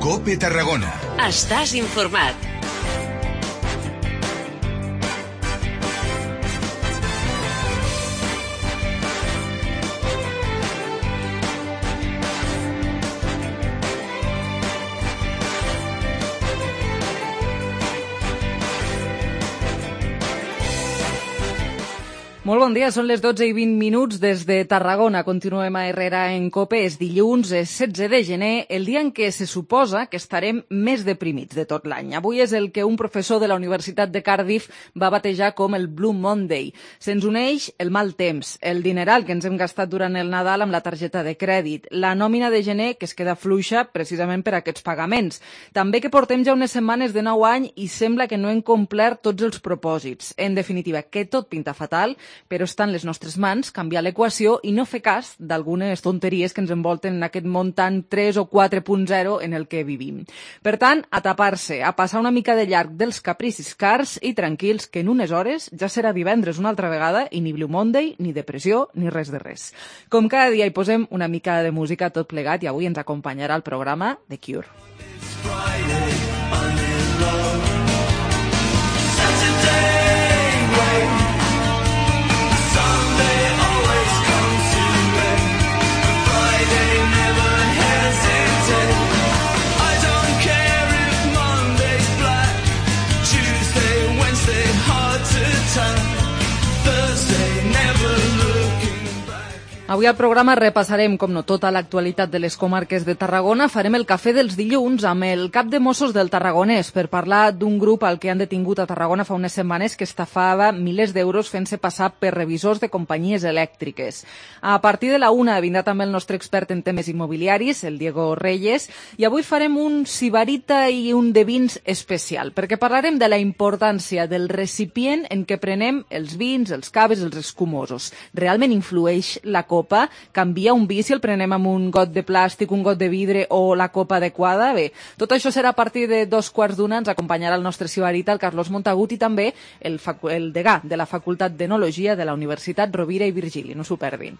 COPE Tarragona. Estàs informat. Molt bon dia, són les 12:20 des de Tarragona. Continuem a Herrera en COPE. És dilluns, és 16 de gener, el dia en què se suposa que estarem més deprimits de tot l'any. Avui és el que un professor de la Universitat de Cardiff va batejar com el Blue Monday. Se'ns uneix el mal temps, el dineral que ens hem gastat durant el Nadal amb la targeta de crèdit, la nòmina de gener que es queda fluixa precisament per aquests pagaments. També que portem ja unes setmanes de nou any i sembla que no hem complert tots els propòsits. En definitiva, que tot pinta fatal, però està en les nostres mans canviar l'equació i no fer cas d'algunes tonteries que ens envolten en aquest món tan 3 o 4.0 en el que vivim. Per tant, a tapar-se, a passar una mica de llarg dels capricis cars i tranquils, que en unes hores ja serà divendres una altra vegada i ni Blue Monday, ni depressió, ni res de res. Com cada dia hi posem una mica de música tot plegat i avui ens acompanyarà el programa The Cure. Avui al programa repassarem, com no, tota l'actualitat de les comarques de Tarragona. Farem el cafè dels dilluns amb el cap de Mossos del Tarragonès per parlar d'un grup al que han detingut a Tarragona fa unes setmanes que estafava milers d'euros fent-se passar per revisors de companyies elèctriques. A partir de la 1 vindrà també el nostre expert en temes immobiliaris, el Diego Reyes, i avui farem un sibarita i un de vins especial, perquè parlarem de la importància del recipient en què prenem els vins, els caves, els escumosos. Realment influeix la copa? Canvia un vi si el prenem amb un got de plàstic, un got de vidre o la copa adequada? Bé, tot això serà a partir de 2:15. Ens acompanyarà el nostre sibarita, el Carlos Montagut, i també el degà de la Facultat d'Enologia de la Universitat Rovira i Virgili. No s'ho perdin.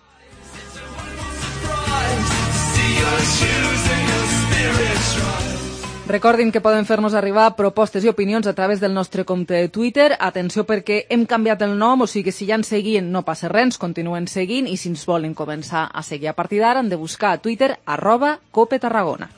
Recordin que poden fer-nos arribar propostes i opinions a través del nostre compte de Twitter. Atenció perquè hem canviat el nom, o sigui que si ja ens seguien no passa res, continuen seguint, i si ens volen començar a seguir a partir d'ara han de buscar a Twitter @CopeTarragona.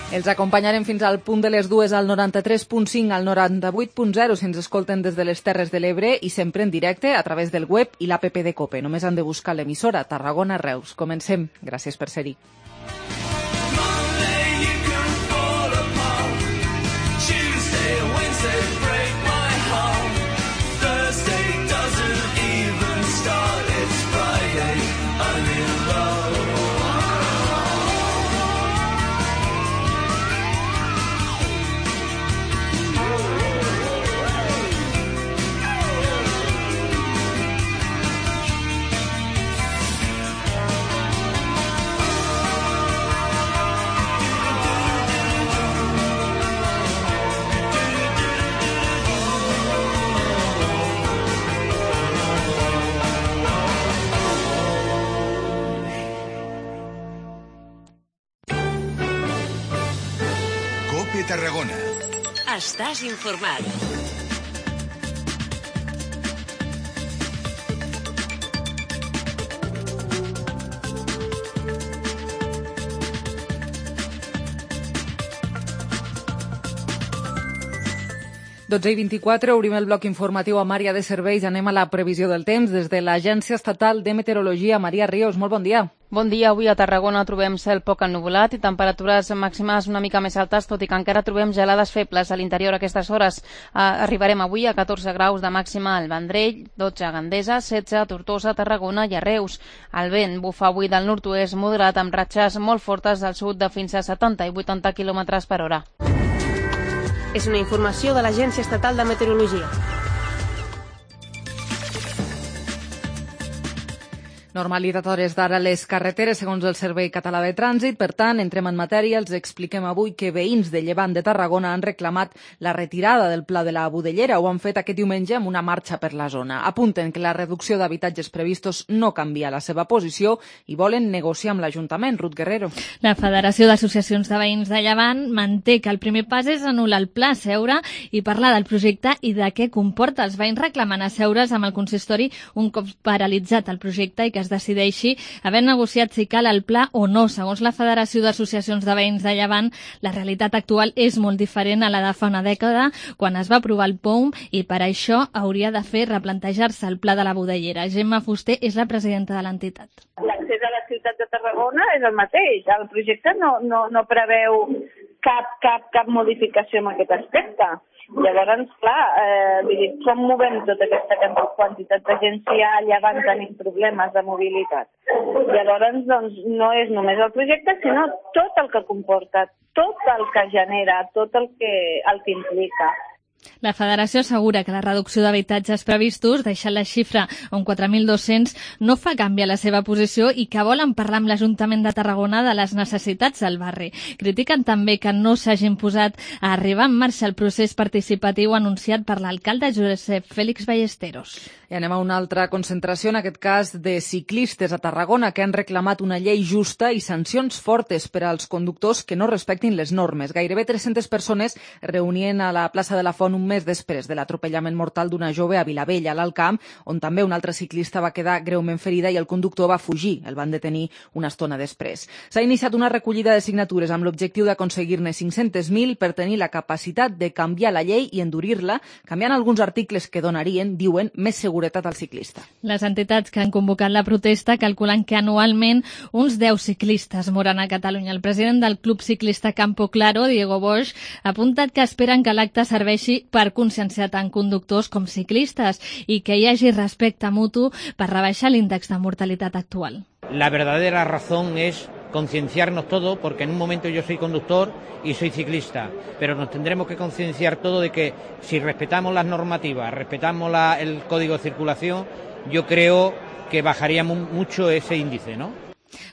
Els acompanyarem fins al punt de les 2 al 93.5, al 98.0 si ens escolten des de les Terres de l'Ebre i sempre en directe a través del web i l'APP de COPE. Només han de buscar l'emissora Tarragona Reus. Comencem. Gràcies per ser-hi. Tarragona. Estàs informat. Dotze i 24, obrim el bloc informatiu amb àrea de serveis. Anem a la previsió del temps des de l'Agència Estatal de Meteorologia. Maria Ríos, molt bon dia. Bon dia. Avui a Tarragona trobem cel poc ennuvolat i temperatures màximes una mica més altes, tot i que encara trobem gelades febles a l'interior a aquestes hores. Arribarem avui a 14 graus de màxima al Vendrell, 12 a Gandesa, 16 a Tortosa, Tarragona i a Reus. El vent bufa avui del nord-oest moderat amb ratxes molt fortes del sud de fins a 70 i 80 km per hora. És una informació de l'Agència Estatal de Meteorologia. Normalitat a hores d'ara a les carreteres, segons el Servei Català de Trànsit. Per tant, entrem en matèria. Els expliquem avui que veïns de Llevant de Tarragona han reclamat la retirada del pla de la Budellera. Ho han fet aquest diumenge amb una marxa per la zona. Apunten que la reducció d'habitatges previstos no canvia la seva posició i volen negociar amb l'Ajuntament. Ruth Guerrero. La Federació d'Associacions de Veïns de Llevant manté que el primer pas és anul·lar el pla, seure i parlar del projecte i de què comporta. Els veïns reclamen asseure's amb el consistori un cop paralitzat el projecte i que es decideixi haver negociat si cal el pla o no. Segons la Federació d'Associacions de Veïns de Llevant, la realitat actual és molt diferent a la de fa una dècada, quan es va aprovar el POUM, i per això hauria de fer replantejar-se el pla de la Budellera. Gemma Fuster és la presidenta de l'entitat. L'accés a la ciutat de Tarragona és el mateix. El projecte no preveu cap modificació en aquest aspecte. Llavors, clar, com movem tota aquesta quantitat de gent si allà van tenir problemes de mobilitat? Llavors, doncs, no és només el projecte, sinó tot el que comporta, tot el que genera, tot el que implica. La Federació assegura que la reducció d'habitatges previstos, deixant la xifra a un 4.200, no fa canviar la seva posició i que volen parlar amb l'Ajuntament de Tarragona de les necessitats del barri. Critiquen també que no s'hagin posat a arribar en marxa el procés participatiu anunciat per l'alcalde Josep Félix Ballesteros. I anem a una altra concentració, en aquest cas de ciclistes a Tarragona, que han reclamat una llei justa i sancions fortes per als conductors que no respectin les normes. Gairebé 300 persones es reunien a la plaça de la Font un mes després de l'atropellament mortal d'una jove a Vilavella, a l'Alt Camp, on també un altre ciclista va quedar greument ferida i el conductor va fugir. El van detenir una estona després. S'ha iniciat una recollida de signatures amb l'objectiu d'aconseguir-ne 500.000 per tenir la capacitat de canviar la llei i endurir-la, canviant alguns articles que donarien, diuen, més seguretat al ciclista. Les entitats que han convocat la protesta calculen que anualment uns 10 ciclistes moren a Catalunya. El president del Club Ciclista Campo Claro, Diego Bosch, ha apuntat que esperen que l'acte serveixi per conscienciar tant conductors com ciclistes i que hi hagi respecte mutu per rebaixar l'índex de mortalitat actual. La verdadera razón es concienciarnos todos, porque en un momento yo soy conductor y soy ciclista, pero nos tendremos que concienciar todos de que si respetamos las normativas, respetamos el código de circulación, yo creo que bajaría mucho ese índice, ¿no?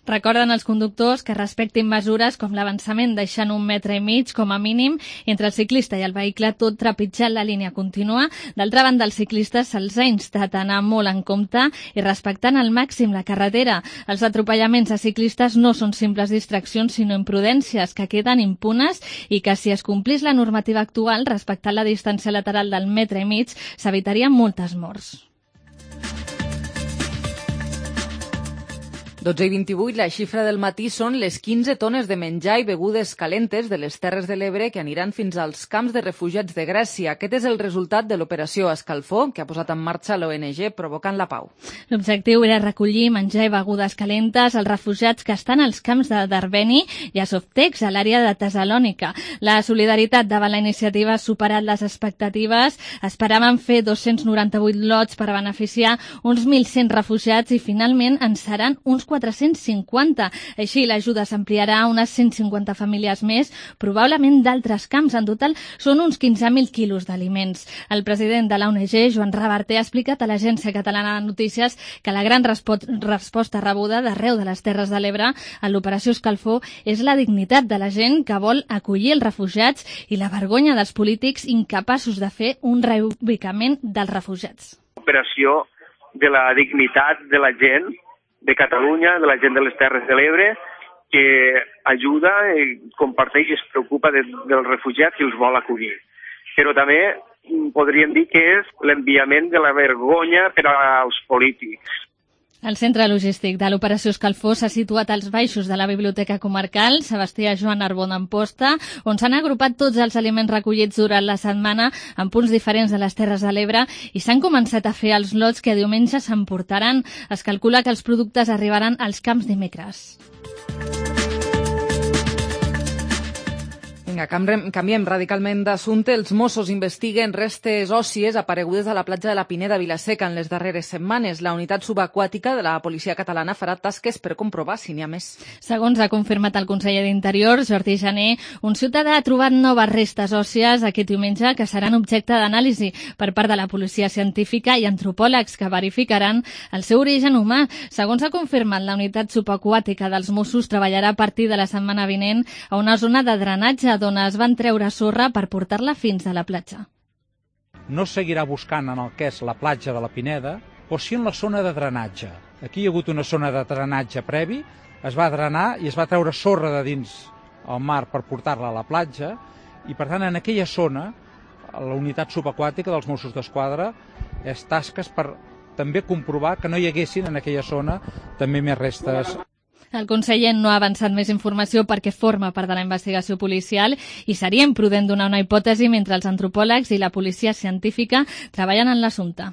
Recorden als conductors que respectin mesures com l'avançament deixant 1,5 metres com a mínim entre el ciclista i el vehicle, tot trepitjant la línia contínua. D'altra banda, als ciclistes se'ls ha instat a anar molt en compte i respectant al màxim la carretera. Els atropellaments a ciclistes no són simples distraccions, sinó imprudències que queden impunes i que si es complís la normativa actual, respectant la distància lateral del 1,5 metres, s'evitarien moltes morts. 12:28, la xifra del matí són les 15 tones de menjar i begudes calentes de les Terres de l'Ebre que aniran fins als camps de refugiats de Grècia. Aquest és el resultat de l'operació Escalfor que ha posat en marxa l'ONG Provocant la Pau. L'objectiu era recollir menjar i begudes calentes als refugiats que estan als camps de Darbeni i a Softex, a l'àrea de Tessalònica. La solidaritat davant la iniciativa ha superat les expectatives. Esperaven fer 298 lots per beneficiar uns 1.100 refugiats i finalment en seran uns 450. Així, l'ajuda s'ampliarà a unes 150 famílies més, probablement d'altres camps. En total, són uns 15.000 quilos d'aliments. El president de la ONG, Joan Reverter, ha explicat a l'Agència Catalana de Notícies que la gran resposta rebuda d'arreu de les Terres de l'Ebre en l'operació Escalfor és la dignitat de la gent que vol acollir els refugiats i la vergonya dels polítics incapaços de fer un reubicament dels refugiats. Operació de la dignitat de la gent de Catalunya, de la gent de les Terres de l'Ebre, que ajuda, comparteix i es preocupa dels refugiats i els vol acollir. Però també podríem dir que és l'enviament de la vergonya per als polítics. El centre logístic de l'operació Escalfor s'ha situat als baixos de la Biblioteca Comarcal Sebastià Joan Arbó d'Amposta, on s'han agrupat tots els aliments recollits durant la setmana en punts diferents de les Terres de l'Ebre i s'han començat a fer els lots que diumenge s'emportaran. Es calcula que els productes arribaran als camps dimecres. Vinga, canviem radicalment d'assumpte. Els Mossos investiguen restes òssies aparegudes a la platja de la Pineda, Vila-seca, en les darreres setmanes. La unitat subaquàtica de la policia catalana farà tasques per comprovar si n'hi ha més. Segons ha confirmat el conseller d'Interior, Jordi Jané, un ciutadà ha trobat noves restes òssies aquest diumenge que seran objecte d'anàlisi per part de la policia científica i antropòlegs que verificaran el seu origen humà. Segons ha confirmat, la unitat subaquàtica dels Mossos treballarà a partir de la setmana vinent a una zona de drenatge d'on es van treure sorra per portar-la fins a la platja. No seguirà buscant en el que és la platja de la Pineda, o sí en la zona de drenatge. Aquí hi ha hagut una zona de drenatge previ, es va drenar i es va treure sorra de dins al mar per portar-la a la platja, i per tant en aquella zona la unitat subaquàtica dels Mossos d'Esquadra és tasques per també comprovar que no hi haguessin en aquella zona també més restes. El conseller no ha avançat més informació perquè forma part de la investigació policial i seria imprudent donar una hipòtesi mentre els antropòlegs i la policia científica treballen en l'assumpte.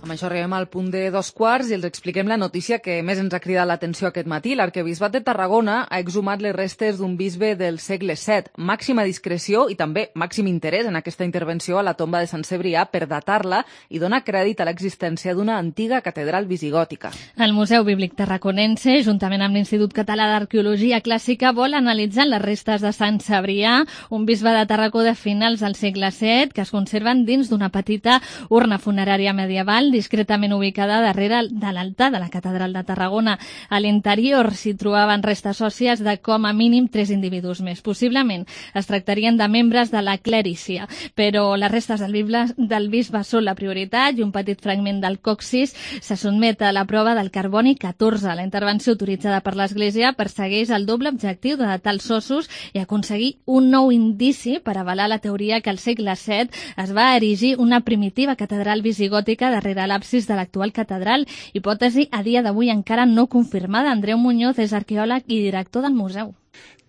Amb això arribem al punt de 2:15 i els expliquem la notícia que més ens ha cridat l'atenció aquest matí. L'arquebisbat de Tarragona ha exhumat les restes d'un bisbe del segle VII. Màxima discreció i també màxim interès en aquesta intervenció a la tomba de Sant Cebrià per datar-la i donar crèdit a l'existència d'una antiga catedral visigòtica. El Museu Bíblic Tarraconense, juntament amb l'Institut Català d'Arqueologia Clàssica, vol analitzar les restes de Sant Cebrià, un bisbe de Tarragó de finals del segle VII, que es conserven dins d'una petita urna funerària medieval discretament ubicada darrere de l'altar de la Catedral de Tarragona. A l'interior s'hi trobaven restes òssies de com a mínim 3 individus més. Possiblement es tractarien de membres de la clèricia, però les restes del bisbe són la prioritat i un petit fragment del coccis se sotmet a la prova del carboni 14. La intervenció autoritzada per l'Església persegueix el doble objectiu de datar els ossos i aconseguir un nou indici per avalar la teoria que al segle VII es va erigir una primitiva catedral visigòtica darrere l'absis de l'actual catedral, hipòtesi a dia d'avui encara no confirmada. Andreu Muñoz és arqueòleg i director del museu.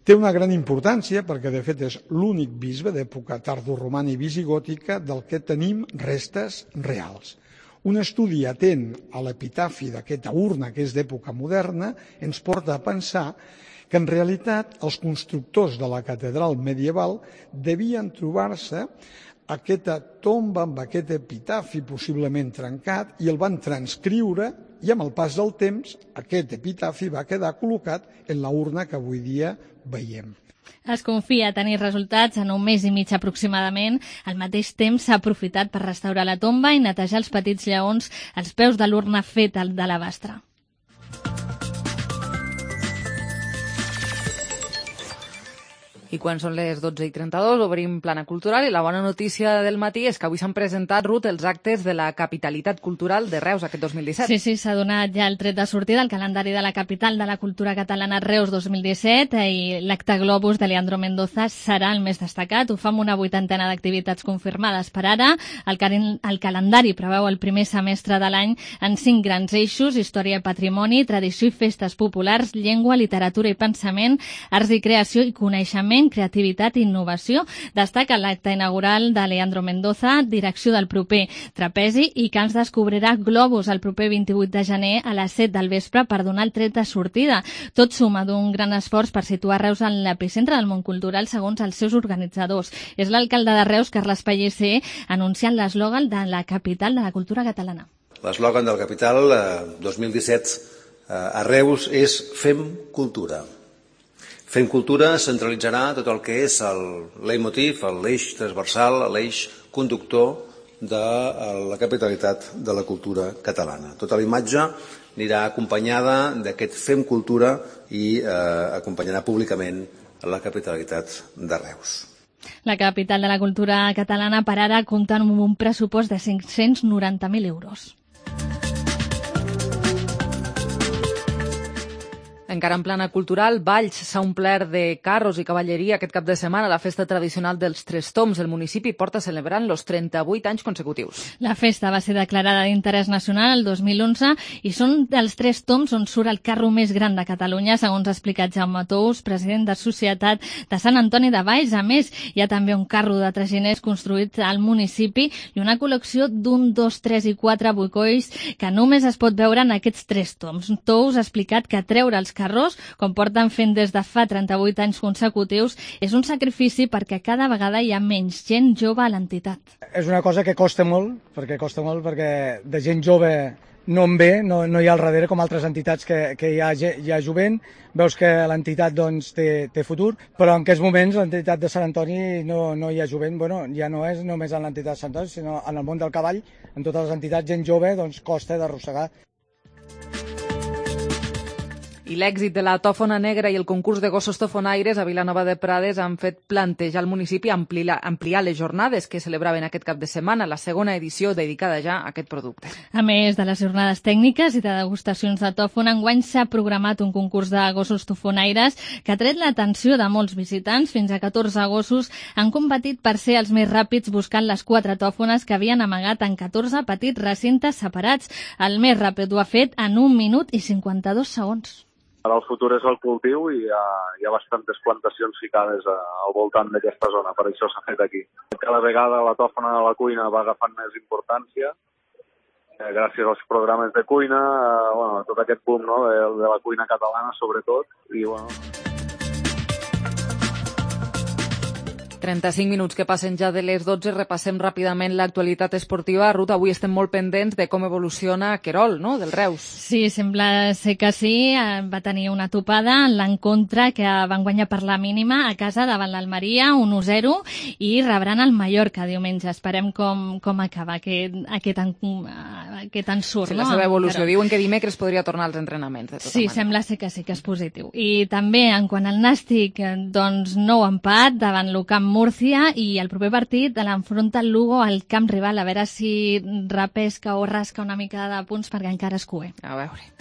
Té una gran importància perquè, de fet, és l'únic bisbe d'època tardoromana i visigòtica del que tenim restes reals. Un estudi atent a l'epitafi d'aquesta urna, que és d'època moderna, ens porta a pensar que en realitat els constructors de la catedral medieval devien trobar-se aquesta tomba amb aquest epitafi possiblement trencat i el van transcriure i amb el pas del temps aquest epitafi va quedar col·locat en la urna que avui dia veiem. Es confia tenir resultats en 1 mes i mig aproximadament. Al mateix temps s'ha aprofitat per restaurar la tomba i netejar els petits lleons als peus de l'urna feta de l'alabastre. I quan són les 12:32 obrim plana cultural i la bona notícia del matí és que avui s'han presentat, Ruth, els actes de la capitalitat cultural de Reus aquest 2017. Sí, s'ha donat ja el tret de sortida al calendari de la capital de la cultura catalana Reus 2017 i l'acte Globus de Leandro Mendoza serà el més destacat. Ho fa amb una 80ena d'activitats confirmades per ara. El calendari preveu el primer semestre de l'any en 5 grans eixos: història i patrimoni, tradició i festes populars, llengua, literatura i pensament, arts i creació i coneixement, creativitat i innovació. Destaca l'acte inaugural de Leandro Mendoza, direcció del proper trapezi i que ens descobrirà Globus el proper 28 de gener a les 7 del vespre per donar el tret de sortida. Tot suma d'un gran esforç per situar Reus en l'epicentre del món cultural segons els seus organitzadors. És l'alcalde de Reus, Carles Pellicer, anunciant l'eslògan de la capital de la cultura catalana. L'eslògan de la capital 2017 a Reus és Fem cultura. Fem cultura centralitzarà tot el que és el leitmotiv, l'eix transversal, l'eix conductor de la capitalitat de la cultura catalana. Tota la imatge anirà acompanyada d'aquest Fem cultura i acompanyarà públicament la capitalitat de Reus. La capital de la cultura catalana per ara compta amb un pressupost de 590.000 euros. Encara en plana cultural, Valls s'ha omplert de carros i cavalleria aquest cap de setmana a la festa tradicional dels Tres Tombs. El municipi porta celebrant els 38 anys consecutius. La festa va ser declarada d'interès nacional el 2011 i són dels Tres Tombs on surt el carro més gran de Catalunya, segons ha explicat Jaume Tous, president de Societat de Sant Antoni de Valls. A més, hi ha també un carro de traginers construït al municipi i una col·lecció d'1, 2, 3 i 4 boicolls que només es pot veure en aquests Tres Tombs. Tous ha explicat que treure els carrers, com porten fent des de fa 38 anys consecutius, és un sacrifici perquè cada vegada hi ha menys gent jove a l'entitat. És una cosa que costa molt perquè de gent jove no en ve, no hi ha al darrere com altres entitats que hi ha jovent, veus que l'entitat doncs, té futur, però en aquests moments l'entitat de Sant Antoni no hi ha jovent, ja no és només en l'entitat de Sant Antoni, sinó en el món del cavall, en totes les entitats, gent jove, doncs costa d'arrossegar. I l'èxit de la tòfona negra i el concurs de gossos tofonaires a Vilanova de Prades han fet plantejar al municipi ampliar les jornades que celebraven aquest cap de setmana, la segona edició dedicada ja a aquest producte. A més de les jornades tècniques i de degustacions de tòfona, enguany s'ha programat un concurs de gossos tofonaires que ha tret l'atenció de molts visitants. Fins a 14 gossos han competit per ser els més ràpids buscant les 4 tòfones que havien amagat en 14 petits recintes separats. El més ràpid ho ha fet en 1 minut i 52 segons. Ara el futur és el cultiu i hi ha bastantes plantacions ficades al voltant d'aquesta zona, per això s'ha fet aquí. Cada vegada la tòfona de la cuina va agafant més importància, gràcies als programes de cuina, tot aquest boom de la cuina catalana sobretot, i 35 minuts que passen ja de les 12, repassem ràpidament l'actualitat esportiva. Ruth, avui estem molt pendents de com evoluciona Querol, no?, del Reus. Sí, sembla ser que sí. Va tenir una topada en l'encontre que van guanyar per la mínima a casa davant l'Almeria, 1-0, i rebran el Mallorca diumenge. Esperem com acaba aquest ensurt. Sí, la seva evolució. Diuen que dimecres podria tornar als entrenaments. Sí, sembla ser que sí, que és positiu. I també, en quant al Nàstic, doncs nou empat davant l'Ucamp Múrcia, i el proper partit l'enfronta el Lugo al camp rival, a veure si repesca o rasca una mica de punts perquè encara és cuer. A veure.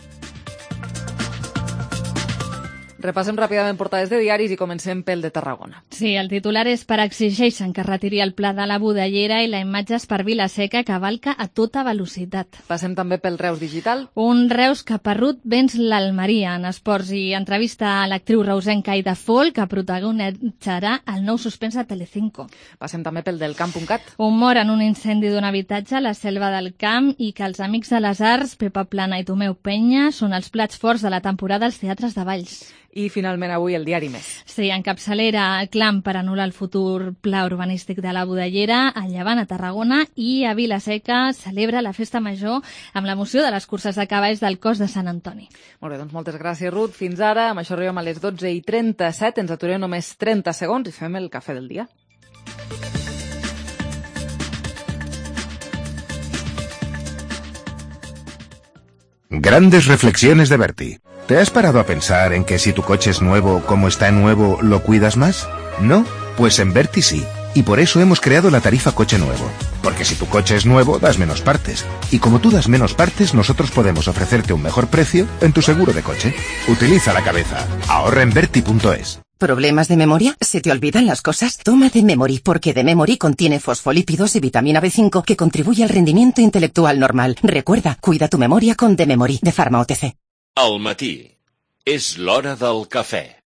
Repassem ràpidament portades de diaris i comencem pel de Tarragona. Sí, el titular és per exigeixen que retiri el pla de la Budellera i la imatge és per Vilaseca que cavalca a tota velocitat. Passem també pel Reus Digital. Un Reus que Perrut venç l'Almeria en esports i entrevista a l'actriu reusenca Aida Fol, que protagonitzarà el nou suspens de Telecinco. Passem també pel del Camp.cat. Un mort en un incendi d'un habitatge a la Selva del Camp i que els Amics de les Arts, Pepa Plana i Tomeu Penya, són els plats forts de la temporada als teatres de Valls. I finalment avui el diari Més. Sí, en capçalera, clam per anul·lar el futur pla urbanístic de la Budellera, a Llevant, a Tarragona, i a Vilaseca celebra la festa major amb l'emoció de les curses de cavalls del cos de Sant Antoni. Molt bé, doncs moltes gràcies, Ruth. Fins ara, amb això arribem a les 12:37, ens aturem només 30 segons i fem el cafè del dia. Grandes reflexiones de Berti. ¿Te has parado a pensar en que si tu coche es nuevo, como está nuevo, lo cuidas más? ¿No? Pues en Berti sí. Y por eso hemos creado la tarifa coche nuevo. Porque si tu coche es nuevo, das menos partes. Y como tú das menos partes, nosotros podemos ofrecerte un mejor precio en tu seguro de coche. Utiliza la cabeza. Ahorra en Berti.es. ¿Problemas de memoria? ¿Se te olvidan las cosas? Toma D-Memory, porque D-Memory contiene fosfolípidos y vitamina B5 que contribuye al rendimiento intelectual normal. Recuerda, cuida tu memoria con D-Memory, de Pharma OTC. Al matí. És l'hora del cafè.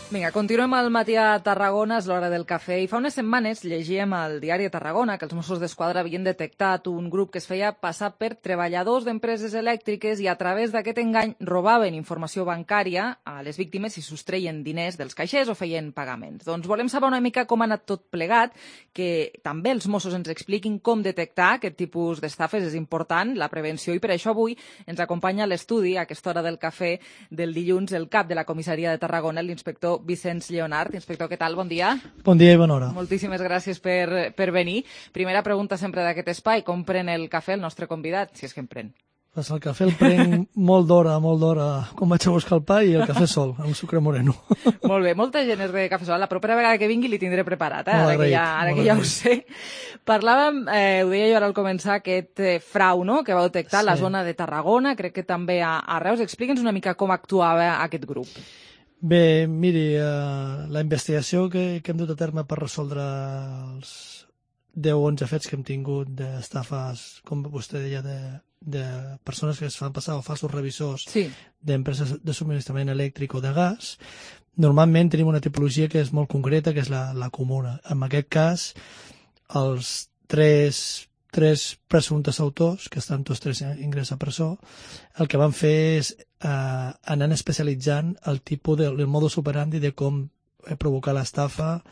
Vinga, continuem al matí a Tarragona, és l'hora del cafè, i fa unes setmanes llegíem al diari de Tarragona que els Mossos d'Esquadra havien detectat un grup que es feia passar per treballadors d'empreses elèctriques i a través d'aquest engany robaven informació bancària a les víctimes i sostreien diners dels caixers o feien pagaments. Doncs volem saber una mica com ha anat tot plegat, que també els Mossos ens expliquin com detectar aquest tipus d'estafes. És important la prevenció i per això avui ens acompanya a l'estudi, a aquesta hora del cafè del dilluns, el cap de la comissaria de Tarragona, l'inspector Vicenç Lleonart. Inspector, què tal? Bon dia. Bon dia i bona hora. Moltíssimes gràcies per venir. Primera pregunta sempre d'aquest espai, com pren el cafè el nostre convidat, si és que en pren? Pues el cafè el prenc molt d'hora, quan vaig a buscar el pa, i el cafè sol, amb sucre moreno. Molt bé, molta gent és de cafè sol. La propera vegada que vingui li tindré preparat, ara que ja ho sé. Parlàvem, ho deia jo ara al començar, aquest frau, no?, que va detectar la zona de Tarragona, crec que també a Reus. Explica'ns una mica com actuava aquest grup. Bé, miri, la investigació que hem dut a terme per resoldre els 10 o 11 fets que hem tingut d'estafes, com vostè deia, de persones que es fan passar o falsos revisors d'empreses de subministrament elèctric o de gas, normalment tenim una tipologia que és molt concreta, que és la comuna. En aquest cas, els tres presumptes autors, que estan tots tres ingressats a presó, el que van fer és anar especialitzant el tipus del modus operandi de com provocar l'estafa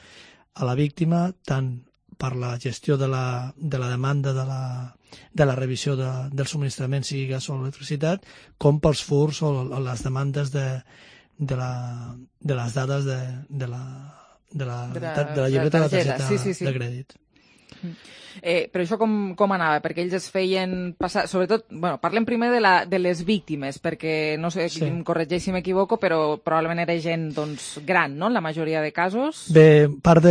a la víctima, tant per la gestió de la demanda de la revisió del subministrament, sigui gas o electricitat, com pels furs o les demandes de les dades de la llibreta de la targeta de crèdit. Però això com anava? Perquè ells es feien passar... Sobretot, parlem primer de les víctimes, perquè, no sé, em corregeix si m'equivoco, però probablement era gent gran, no?, en la majoria de casos. Bé, part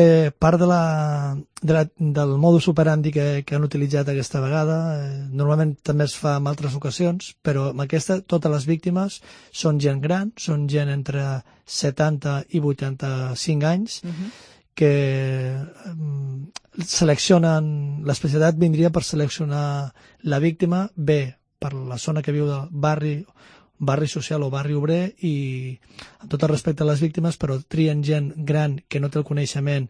del modus operandi que han utilitzat aquesta vegada, normalment també es fa en altres ocasions, però amb aquesta totes les víctimes són gent gran, són gent entre 70 i 85 anys, que seleccionen, l'especialitat vindria per seleccionar la víctima, bé per la zona que viu del barri social o barri obrer, i amb tot el respecte a les víctimes, però trien gent gran que no té el coneixement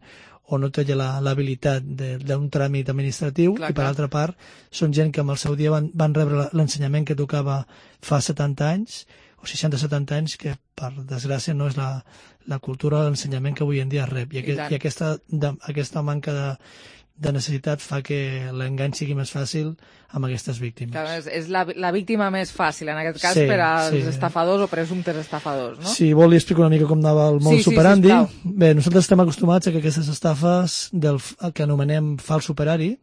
o no té l'habilitat d'un tràmit administratiu, i per altra part són gent que en el seu dia van rebre l'ensenyament que tocava fa 70 anys o 60-70 anys, que per desgràcia no és la cultura de l'ensenyament que avui en dia es rep, i aquesta manca de necessitat fa que l'engany sigui més fàcil amb aquestes víctimes. Clar, és la víctima més fàcil, en aquest cas, per als estafadors o presumptes estafadors, no? Si vol, li explico una mica com anava el modus operandi. Bé, nosaltres estem acostumats a que aquestes estafes que anomenem fals operari,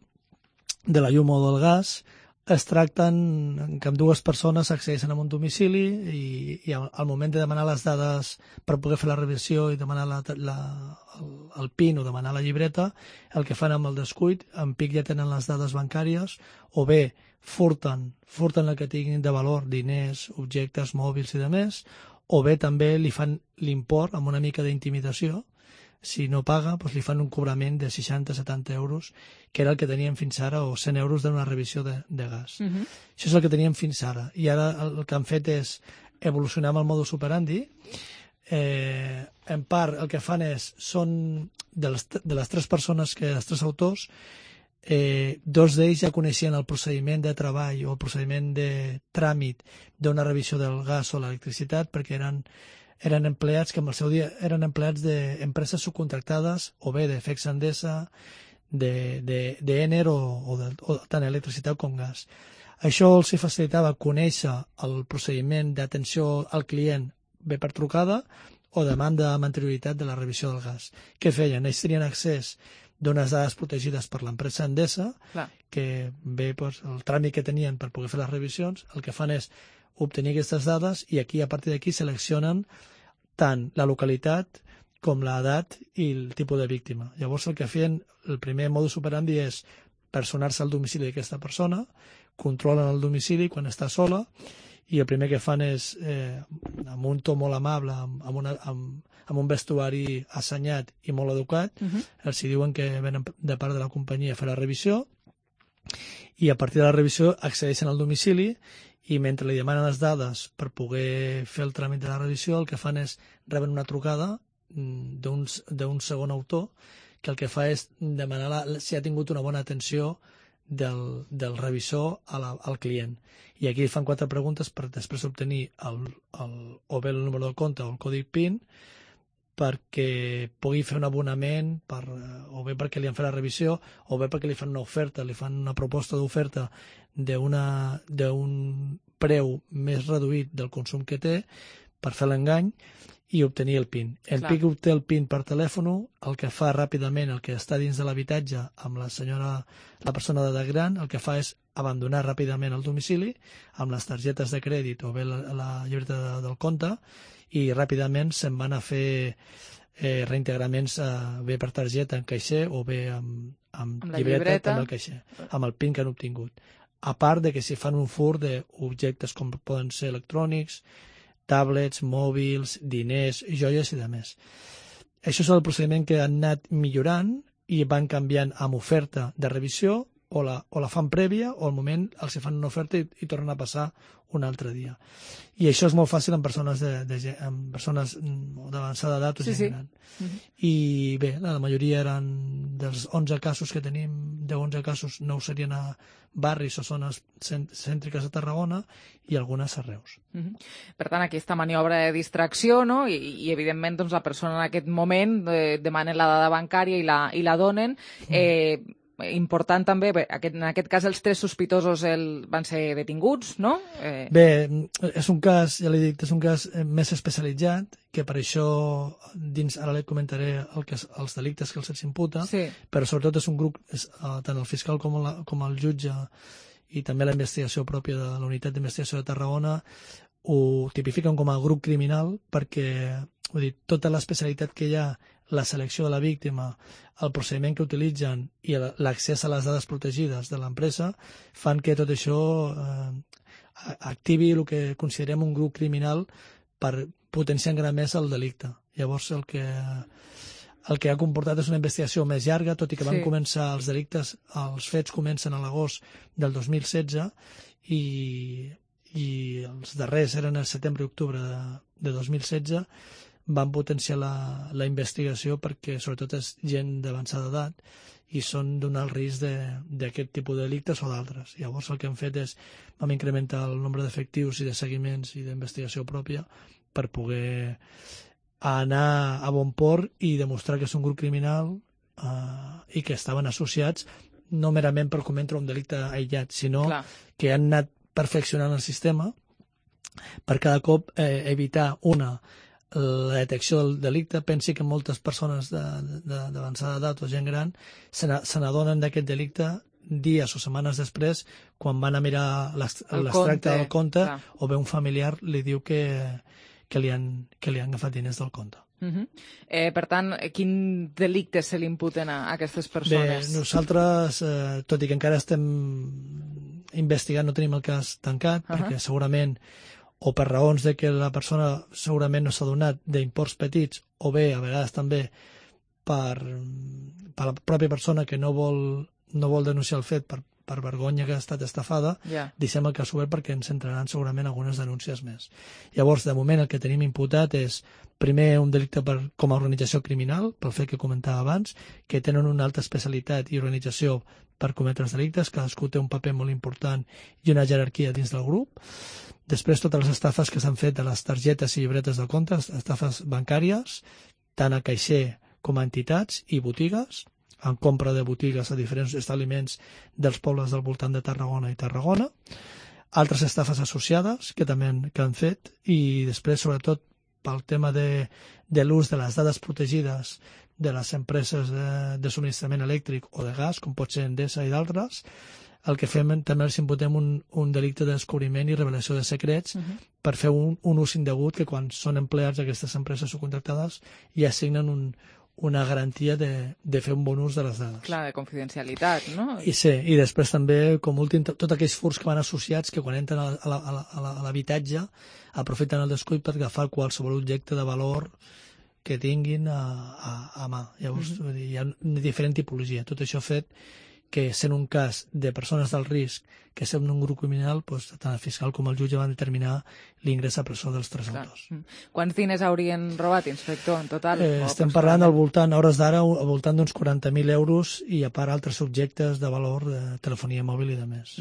de la llum o del gas, es tracten que amb dues persones accedeixen a un domicili i al moment de demanar les dades per poder fer la revisió i demanar el PIN o demanar la llibreta, el que fan amb el descuit, en pic ja tenen les dades bancàries, o bé furten el que tinguin de valor, diners, objectes, mòbils i demés, o bé també li fan l'import amb una mica d'intimidació. Si no paga, doncs li fan un cobrament de 60-70 euros, que era el que teníem fins ara, o 100 euros d'una revisió de gas. Això és el que teníem fins ara. I ara el que han fet és evolucionar amb el modus operandi. En part, el que fan són de les tres persones, els tres autors, dos d'ells ja coneixien el procediment de treball o el procediment de tràmit d'una revisió del gas o l'electricitat, perquè eren empleats que en el seu dia eren empleats d'empreses subcontractades o bé de FEX Endesa, d'Ener o tant electricitat com gas. Això els facilitava conèixer el procediment d'atenció al client bé per trucada o demanda amb anterioritat de la revisió del gas. Què feien? Ells tenien accés d'unes dades protegides per l'empresa Endesa, que bé, el tràmit que tenien per poder fer les revisions, el que fan és obtenir aquestes dades i aquí, a partir d'aquí, seleccionen tant la localitat com l'edat i el tipus de víctima. Llavors el que feien, el primer modus operandi és personar-se al domicili d'aquesta persona, controlen el domicili quan està sola i el primer que fan és, amb un to molt amable, amb un vestuari assenyat i molt educat, els diuen que venen de part de la companyia a fer la revisió i a partir de la revisió accedeixen al domicili i mentre li demanen les dades per poder fer el tràmit de la revisió, el que fan és reben una trucada d'un segon autor que el que fa és demanar si ha tingut una bona atenció del revisor al client. I aquí fan 4 preguntes per després obtenir o bé el número del compte o el codi PIN perquè pugui fer un abonament o bé perquè li han fet la revisió o bé perquè li fan una oferta, li fan una proposta d'oferta d'un preu més reduït del consum que té per fer l'engany i obtenir el PIN. El PIN obté el PIN per telèfon, el que fa ràpidament, el que està dins de l'habitatge amb la persona d'edat gran, el que fa és abandonar ràpidament el domicili amb les targetes de crèdit o bé la llibreta del compte i ràpidament se'n van a fer reintegraments bé per targeta en caixer o bé amb llibreta amb el caixer, amb el PIN que han obtingut. A part de que si fan un furt d'objectes com poden ser electrònics, tablets, mòbils, diners, joies i demés. Això és el procediment que han anat millorant i van canviant amb oferta de revisió o la fan prèvia o al moment els fan una oferta i tornen a passar un altre dia. I això és molt fàcil en persones d'avançada edat o gent gran. I bé, la majoria eren dels 11 casos que tenim de 11 casos, 9 serien a barris o zones cèntriques de Tarragona i algunes a Reus. Per tant, aquesta maniobra de distracció, no? I evidentment, doncs, la persona en aquest moment demana la dada bancària i la donen. Important també, en aquest cas els 3 sospitosos van ser detinguts, no? Bé, és un cas, ja l'he dit, és un cas més especialitzat, que per això ara li comentaré els delictes que se'ls imputa, però sobretot és un grup, tant el fiscal com el jutge i també la investigació pròpia de la Unitat d'Investigació de Tarragona ho tipifiquen com a grup criminal perquè, vull dir, tota l'especialitat que hi ha, la selecció de la víctima, el procediment que utilitzen i l'accés a les dades protegides de l'empresa fan que tot això activi el que considerem un grup criminal per potenciar encara més el delicte. Llavors el que ha comportat és una investigació més llarga, tot i que van començar els delictes, els fets comencen a l'agost del 2016 i els darrers eren el setembre i octubre de 2016, van potenciar la investigació perquè sobretot és gent d'avançada edat i són donar el risc d'aquest tipus de delictes o d'altres. Llavors el que hem fet és vam incrementar el nombre d'efectius i de seguiments i d'investigació pròpia per poder anar a bon port i demostrar que és un grup criminal i que estaven associats no merament per cometre un delicte aïllat, sinó que han anat perfeccionant el sistema per cada cop evitar la detecció del delicte. Pensi que moltes persones d'avançada edat o gent gran se n'adonen d'aquest delicte dies o setmanes després quan van a mirar l'extracte del compte o bé un familiar li diu que li han agafat diners del compte. Per tant, quin delicte se li imputen a aquestes persones? Bé, nosaltres, tot i que encara estem investigant, no tenim el cas tancat, perquè segurament o per raons de que la persona segurament no s'ha donat d'imports petits o bé, a vegades també, per la pròpia persona que no vol denunciar el fet per vergonya que ha estat estafada, deixem el cas obert perquè ens entraran segurament algunes denúncies més. Llavors, de moment, el que tenim imputat és, primer, un delicte com a organització criminal, pel fet que comentava abans, que tenen una alta especialitat i organització per cometre els delictes, cadascú té un paper molt important i una jerarquia dins del grup. Després, totes les estafes que s'han fet de les targetes i llibretes de comptes, estafes bancàries, tant a caixer com a entitats i botigues, en compra de botigues a diferents establiments dels pobles del voltant de Tarragona i Tarragona, altres estafes associades que també han fet, i després, sobretot, pel tema de l'ús de les dades protegides de les empreses de subministrament elèctric o de gas, com pot ser Endesa i d'altres, el que fem també els imputem un delicte de descobriment i revelació de secrets per fer un ús indegut que quan són empleats d'aquestes empreses subcontractades ja assignen una garantia de fer un bon ús de les dades. Clar, de confidencialitat, no? I sí, i després també, com últim, tots aquells furts que van associats que quan entren a l'habitatge aprofiten el descuit per agafar qualsevol objecte de valor que tinguin a mà. Llavors, hi ha una diferent tipologia. Tot això fet que, sent un cas de persones del risc que sent un grup criminal, tant el fiscal com el jutge van determinar l'ingrés a presó dels 3 autors. Quants diners haurien robat, inspector, en total? Estem parlant al voltant, a hores d'ara, al voltant d'uns 40.000 euros i a part altres subjectes de valor de telefonia mòbil i de més.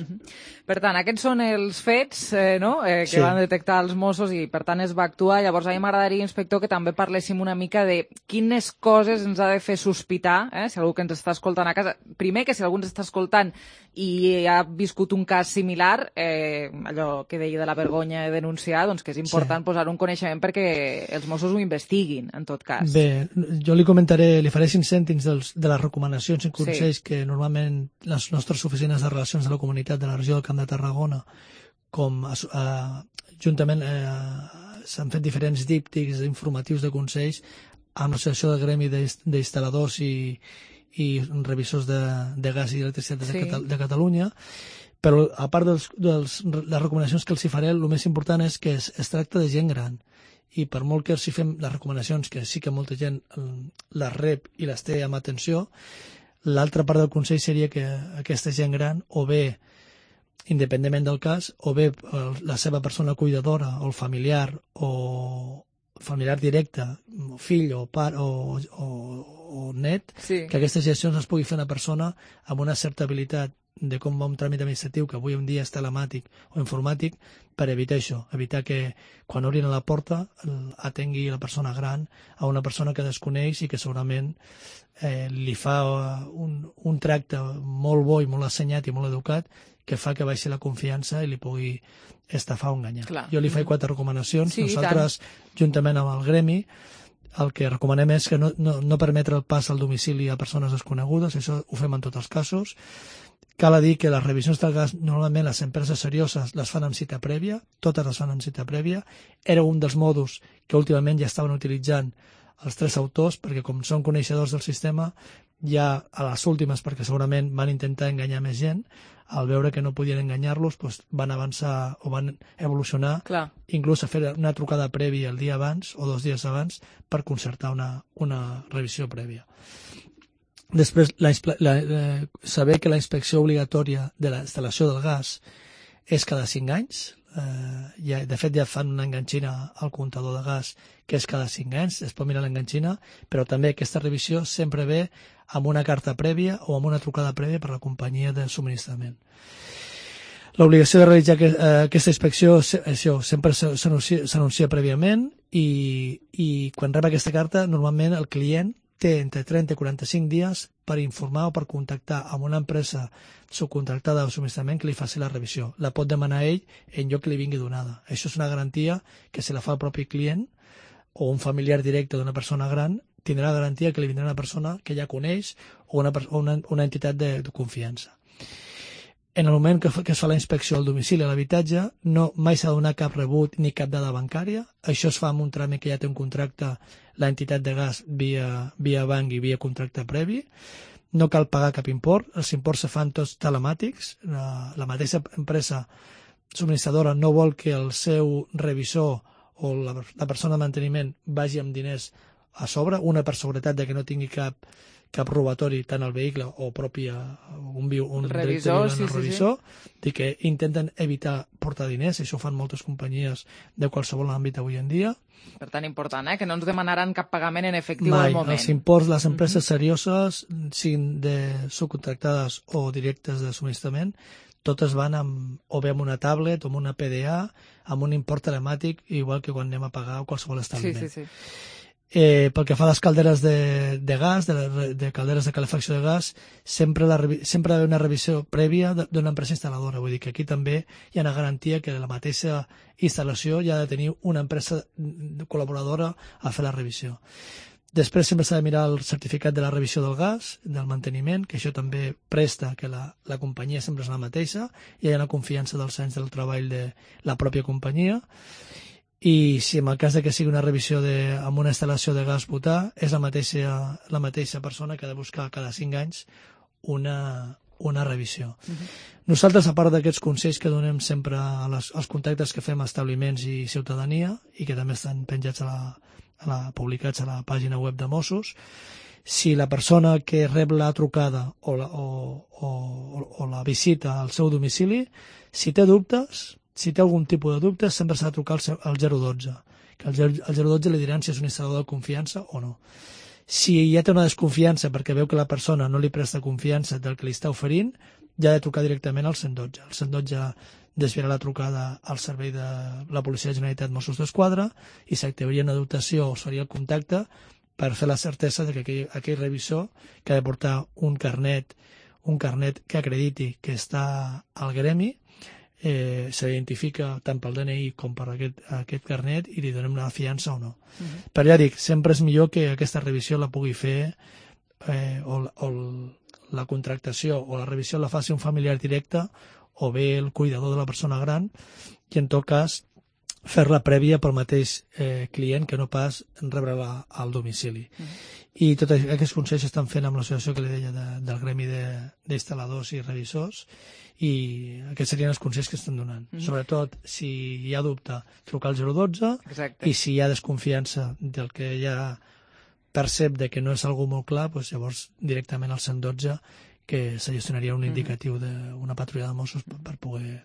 Per tant, aquests són els fets que van detectar els Mossos i per tant es va actuar. Llavors a mi m'agradaria, inspector, que també parléssim una mica de quines coses ens ha de fer sospitar, si algú que ens està escoltant a casa. Primer, que si algú ens està escoltant i ha viscut un cas similar, allò que deia de la vergonya de denunciar, doncs que és important posar un coneixement perquè els Mossos ho investiguin, en tot cas. Bé, jo li faré 5 cèntims de les recomanacions i consells que normalment les nostres oficines de relacions de la comunitat de la regió del Camp de Tarragona, com juntament s'han fet diferents díptics informatius de consells amb l'associació del gremi d'instal·ladors i revisors de gas i electricitat de Catalunya, però a part de les recomanacions que els hi faré, el més important és que es tracta de gent gran i per molt que els hi fem les recomanacions, que sí que molta gent les rep i les té amb atenció, l'altra part del consell seria que aquesta gent gran, o bé independentment del cas, o bé la seva persona cuidadora o el familiar o familiar directe, fill o pare o o net, que aquestes gestions les pugui fer una persona amb una certa habilitat de com va un tràmit administratiu que avui en dia és telemàtic o informàtic, per evitar això, evitar que quan obrin a la porta atengui la persona gran a una persona que desconeix i que segurament li fa un tracte molt bo i molt assenyat i molt educat que fa que baixi la confiança i li pugui estafar o enganyar. Clar. Jo li faig 4 recomanacions. Sí, nosaltres, juntament amb el gremi, el que recomanem és que no permetre el pas al domicili a persones desconegudes, això ho fem en tots els casos. Cal dir que les revisions del gas, normalment les empreses serioses les fan amb cita prèvia, totes les fan amb cita prèvia. Era un dels modus que últimament ja estaven utilitzant els 3 autors, perquè com són coneixedors del sistema, ja a les últimes, perquè segurament van intentar enganyar més gent, al veure que no podien enganyar-los, doncs van avançar o van evolucionar, inclús a fer una trucada prèvia el dia abans o 2 dies abans per concertar una revisió prèvia. Després, saber que la inspecció obligatòria de la instal·lació del gas és cada 5 anys. De fet, ja fan una enganxina al comptador de gas que és cada 5 anys, es pot mirar l'enganxina, però també aquesta revisió sempre ve amb una carta prèvia o amb una trucada prèvia per la companyia de subministrament. L'obligació de realitzar aquesta inspecció sempre s'anuncia prèviament i quan rep aquesta carta, normalment el client té entre 30 i 45 dies per informar o per contactar amb una empresa subcontractada de subministrament que li faci la revisió. La pot demanar ell en lloc que li vingui donada. Això és una garantia que si la fa el propi client o un familiar directe d'una persona gran, tindrà la garantia que li vindrà una persona que ja coneix o una entitat de confiança. En el moment que es fa la inspecció al domicili a l'habitatge, mai s'ha de donar cap rebut ni cap dada bancària. Això es fa amb un tràmit que ja té un contracte l'entitat de gas via banc i via contracte previ. No cal pagar cap import, els imports se fan tots telemàtics. La mateixa empresa subministradora no vol que el seu revisor o la persona de manteniment vagi amb diners a sobre, una per seguretat de que no tingui cap robatori tant al vehicle o propi un revisor, i que intenten evitar portar diners, això ho fan moltes companyies de qualsevol àmbit avui en dia. Per tant, important, que no ens demanaran cap pagament en efectiu al moment. Els imports, les empreses serioses, siguin subcontractades o directes de subministrament, totes van o bé amb una tablet o amb una PDA, amb un import telemàtic, igual que quan anem a pagar qualsevol establiment. Sí. Pel que fa a les calderes de gas, de calderes de calefacció de gas, sempre ha d'haver una revisió prèvia d'una empresa instal·ladora. Vull dir que aquí també hi ha una garantia que la mateixa instal·lació ja ha de tenir una empresa col·laboradora a fer la revisió. Després sempre s'ha de mirar el certificat de la revisió del gas, del manteniment, que això també presta que la companyia sempre és la mateixa, i hi ha una confiança dels anys del treball de la pròpia companyia. I si en el cas de que sigui una revisió amb una instal·lació de gas butà, és la mateixa persona que ha de buscar cada 5 anys una revisió. Nosaltres, a part d'aquests consells que donem sempre als contactes que fem a establiments i ciutadania, i que també estan penjats publicats a la pàgina web de Mossos, si la persona que rep la trucada o la visita al seu domicili, si té dubtes, si té algun tipus de dubte, sempre s'ha de trucar al 012, que al 012 li diran si és un instal·lador de confiança o no. Si ja té una desconfiança perquè veu que la persona no li presta confiança del que li està oferint, ja ha de trucar directament al 112. El 112 desviarà la trucada al servei de la Policia de la Generalitat Mossos d'Esquadra i s'activaria una dotació o es faria el contacte per fer la certesa de que aquell revisor que ha de portar un carnet que acrediti que està al gremi, s'identifica tant pel DNI com per aquest carnet i li donem una fiança o no. Però ja dic, sempre és millor que aquesta revisió la pugui fer o la contractació o la revisió la faci un familiar directe o bé el cuidador de la persona gran i en tot cas fer-la prèvia pel mateix client que no pas rebre-la al domicili. I tots aquests consells s'estan fent amb l'associació que li deia del gremi d'instal·ladors i revisors i aquests serien els consells que estan donant. Sobretot, si hi ha dubte, trucar al 012 i si hi ha desconfiança del que ja percep de que no és algú molt clar, doncs llavors directament al 112 que se gestionaria un indicatiu d'una patrulla de Mossos per poder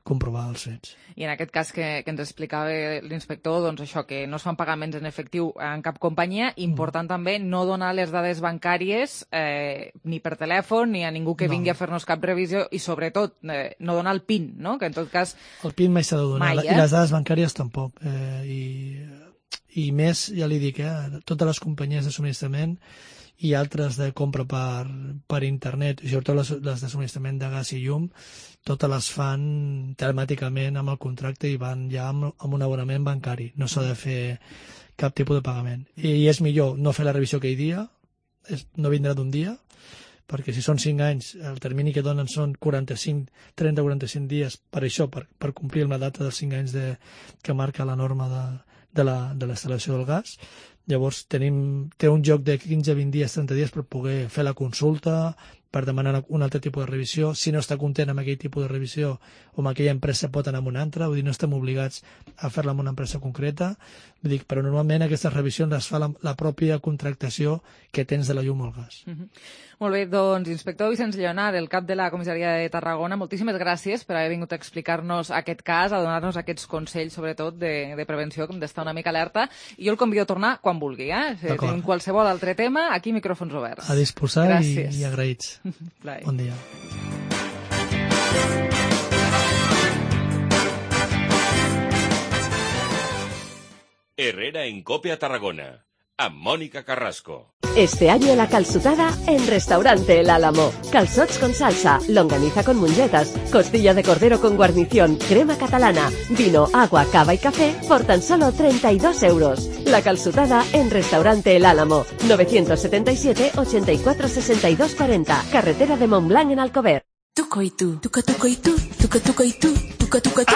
comprovar els fets. I en aquest cas que ens explicava l'inspector, doncs això, que no es fan pagaments en efectiu en cap companyia, important també no donar les dades bancàries ni per telèfon ni a ningú que vingui a fer-nos cap revisió i sobretot no donar el PIN, no? Que en tot cas... El PIN mai s'ha de donar, i les dades bancàries tampoc. I més, ja li dic, totes les companyies de subministrament i altres de compra per internet, i sobretot les de subministrament de gas i llum, totes les fan telemàticament amb el contracte i van ja amb un abonament bancari. No s'ha de fer cap tipus de pagament. I és millor no fer la revisió aquell dia, no vindrà d'un dia, perquè si són 5 anys, el termini que donen són 30-45 dies per això, per complir amb la data dels 5 anys que marca la norma de la instal·lació del gas. Llavors té un joc de 15-20 dies, 30 dies per poder fer la consulta, per demanar un altre tipus de revisió. Si no està content amb aquell tipus de revisió o amb aquella empresa pot anar amb una altra, vull dir, no estem obligats a fer-la amb una empresa concreta, vull dir, però normalment aquestes revisions les fa la pròpia contractació que tens de la llum o el gas. Molt bé, doncs, inspector Vicenç Lleonard, el cap de la comissaria de Tarragona, moltíssimes gràcies per haver vingut a explicar-nos aquest cas, a donar-nos aquests consells, sobretot, de prevenció, que hem d'estar una mica alerta, i jo el convido a tornar quan vulgui, Si tenim qualsevol altre tema, aquí micròfons oberts. A disposar i agraïts. Bon dia. Herrera en COPE a Tarragona, amb Mónica Carrasco. Este año la calçotada en Restaurante El Álamo. Calzots con salsa, longaniza con mungetas, costilla de cordero con guarnición, crema catalana, vino, agua, cava y café por tan solo 32 euros. La calçotada en Restaurante El Álamo. 977 84 62 40. Carretera de Montblanc en Alcover. Tuco y tú, tuco y tú, tuco y tú.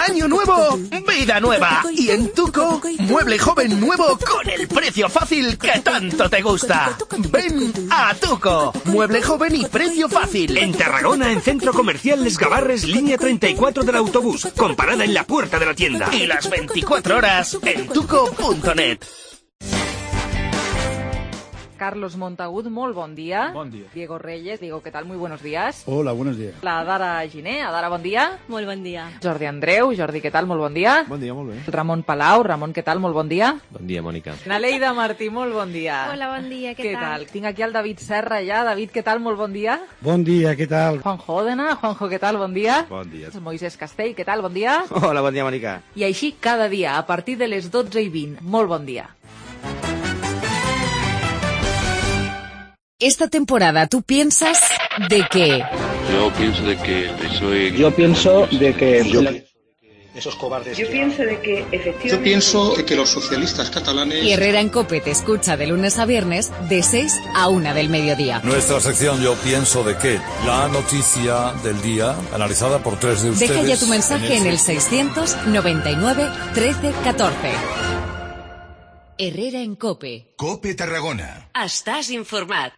Año nuevo, vida nueva. Y en Tuco, mueble joven nuevo con el precio fácil que tanto te gusta. Ven a Tuco, mueble joven y precio fácil. En Tarragona, en Centro Comercial Les Gavarres, línea 34 del autobús, con parada en la puerta de la tienda. Y las 24 horas en tuco.net. Carlos Montagut, molt bon dia. Bon dia. Diego Reyes, Diego, ¿qué tal? Muy buenos días. Hola, buenos días. La Dara Giné, Adara, bon dia. Molt bon dia. Jordi Andreu, Jordi, què tal? Molt bon dia. Bon dia, molt bé. Ramon Palau, Ramon, què tal? Molt bon dia. Bon dia, Mònica. Naleida Martí, molt bon dia. Hola, bon dia, què tal? Tinc aquí el David Serra ja. David, què tal? Molt bon dia. Bon dia, què tal? Juanjo Òdena, Juanjo, què tal? Bon dia. Bon dia. Moisés Castell, què tal? Bon dia. Hola, bon dia, Mònica. I així cada dia, a partir de les 12:20. Molt bon dia. Esta temporada, ¿tú piensas de qué? Yo pienso de que el PSOE... Yo pienso de que... Esos cobardes... Yo pienso de que efectivamente... Yo pienso de que los socialistas catalanes... Y Herrera en COPE te escucha de lunes a viernes de 6 a 1 del mediodía. Nuestra sección Yo pienso de qué, la noticia del día analizada por 3 de ustedes... Deja ya tu mensaje en el 699 13 14. Herrera en COPE. COPE Tarragona. Estàs informat.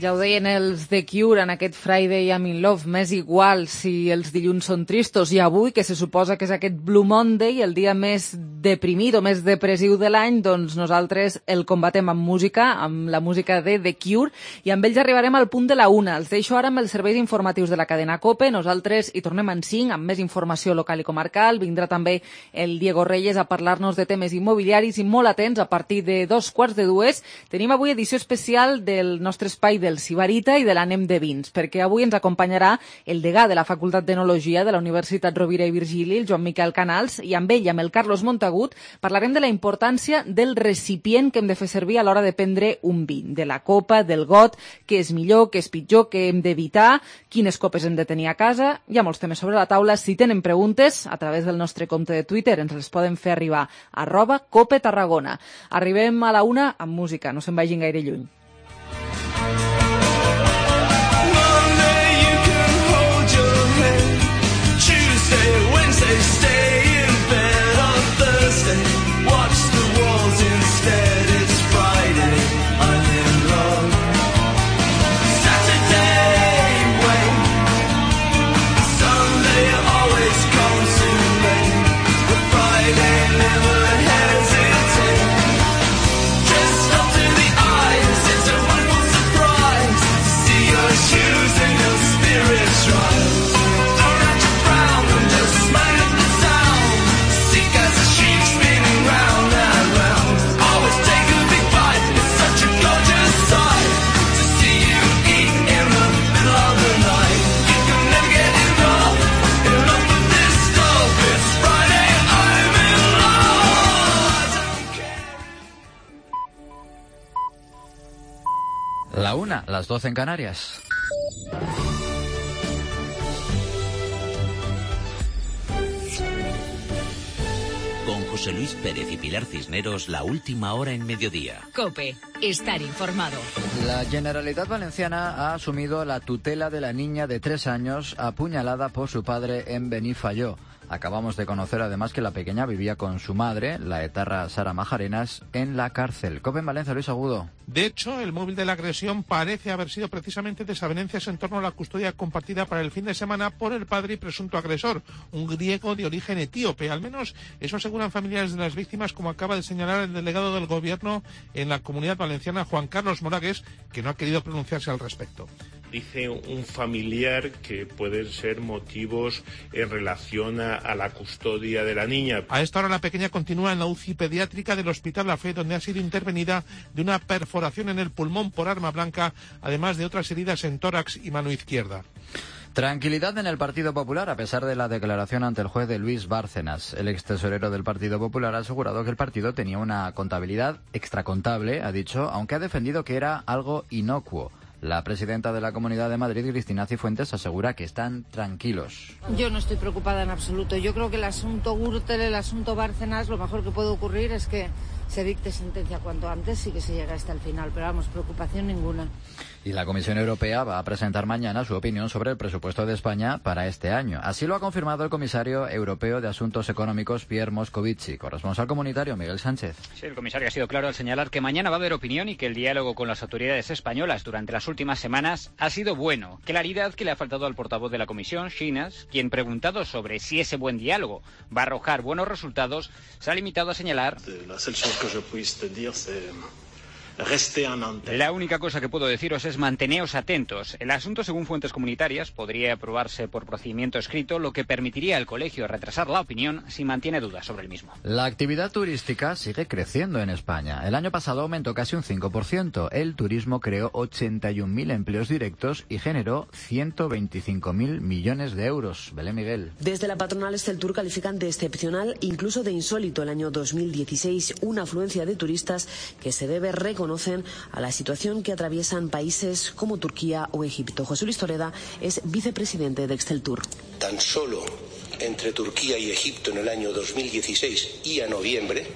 Ja ho deien els The Cure en aquest Friday I'm in Love, m'és igual si els dilluns són tristos, i avui, que se suposa que és aquest Blue Monday, el dia més deprimit o més depressiu de l'any, doncs nosaltres el combatem amb música, amb la música de The Cure, i amb ells arribarem al punt de la 1. Els deixo ara amb els serveis informatius de la cadena COPE, nosaltres hi tornem en 5 amb més informació local i comarcal, vindrà també el Diego Reyes a parlar-nos de temes immobiliaris, i molt atents, a partir de 2:45 tenim avui edició especial del nostre espai del Sibarita i de l'Anem de Vins, perquè avui ens acompanyarà el degà de la Facultat d'Enologia de la Universitat Rovira i Virgili, el Joan Miquel Canals, i amb ell, amb el Carlos Montagut, parlarem de la importància del recipient que hem de fer servir a l'hora de prendre un vi, de la copa, del got, què és millor, què és pitjor, què hem d'evitar, quines copes hem de tenir a casa. Hi ha molts temes sobre la taula. Si tenen preguntes, a través del nostre compte de Twitter ens les poden fer arribar a @COPE Tarragona. Arribem a la 1 amb música, no se'n vagin gaire lluny. Wednesday, stay in bed on Thursday, watch the walls instead. España, las 12 en Canarias. Con José Luis Pérez y Pilar Cisneros, la última hora en mediodía. COPE, estar informado. La Generalitat Valenciana ha asumido la tutela de la niña de 3 años apuñalada por su padre en Benifayó. Acabamos de conocer además que la pequeña vivía con su madre, la etarra Sara Majarenas, en la cárcel. COPE en Valencia, Luis Agudo. De hecho, el móvil de la agresión parece haber sido precisamente desavenencias en torno a la custodia compartida para el fin de semana por el padre y presunto agresor, un griego de origen etíope. Al menos eso aseguran familiares de las víctimas, como acaba de señalar el delegado del Gobierno en la Comunidad Valenciana, Juan Carlos Moragues, que no ha querido pronunciarse al respecto. Dice un familiar que pueden ser motivos en relación a la custodia de la niña. A esta hora la pequeña continúa en la UCI pediátrica del Hospital La Fe, donde ha sido intervenida de una perforación en el pulmón por arma blanca, además de otras heridas en tórax y mano izquierda. Tranquilidad en el Partido Popular, a pesar de la declaración ante el juez de Luis Bárcenas. El ex tesorero del Partido Popular ha asegurado que el partido tenía una contabilidad extracontable, ha dicho, aunque ha defendido que era algo inocuo. La presidenta de la Comunidad de Madrid, Cristina Cifuentes, asegura que están tranquilos. Yo no estoy preocupada en absoluto. Yo creo que el asunto Gürtel, el asunto Bárcenas, lo mejor que puede ocurrir es que se dicte sentencia cuanto antes y que se llegue hasta el final. Pero vamos, preocupación ninguna. Y la Comisión Europea va a presentar mañana su opinión sobre el presupuesto de España para este año. Así lo ha confirmado el comisario europeo de Asuntos Económicos, Pierre Moscovici. Corresponsal comunitario, Miguel Sánchez. Sí, el comisario ha sido claro al señalar que mañana va a haber opinión y que el diálogo con las autoridades españolas durante las últimas semanas ha sido bueno. Claridad que le ha faltado al portavoz de la Comisión, Chinas, quien, preguntado sobre si ese buen diálogo va a arrojar buenos resultados, se ha limitado a señalar: la única cosa que puedo deciros es manteneos atentos. El asunto, según fuentes comunitarias, podría aprobarse por procedimiento escrito, lo que permitiría al colegio retrasar la opinión si mantiene dudas sobre el mismo. La actividad turística sigue creciendo en España. El año pasado aumentó casi un 5%. El turismo creó 81.000 empleos directos y generó 125.000 millones de euros. Belén Miguel. Desde la patronal Exceltur califican de excepcional, incluso de insólito, el año 2016, una afluencia de turistas que se debe reconocer a la situación que atraviesan países como Turquía o Egipto. José Luis Toreda es vicepresidente de Exceltur. Tan solo entre Turquía y Egipto en el año 2016 y a noviembre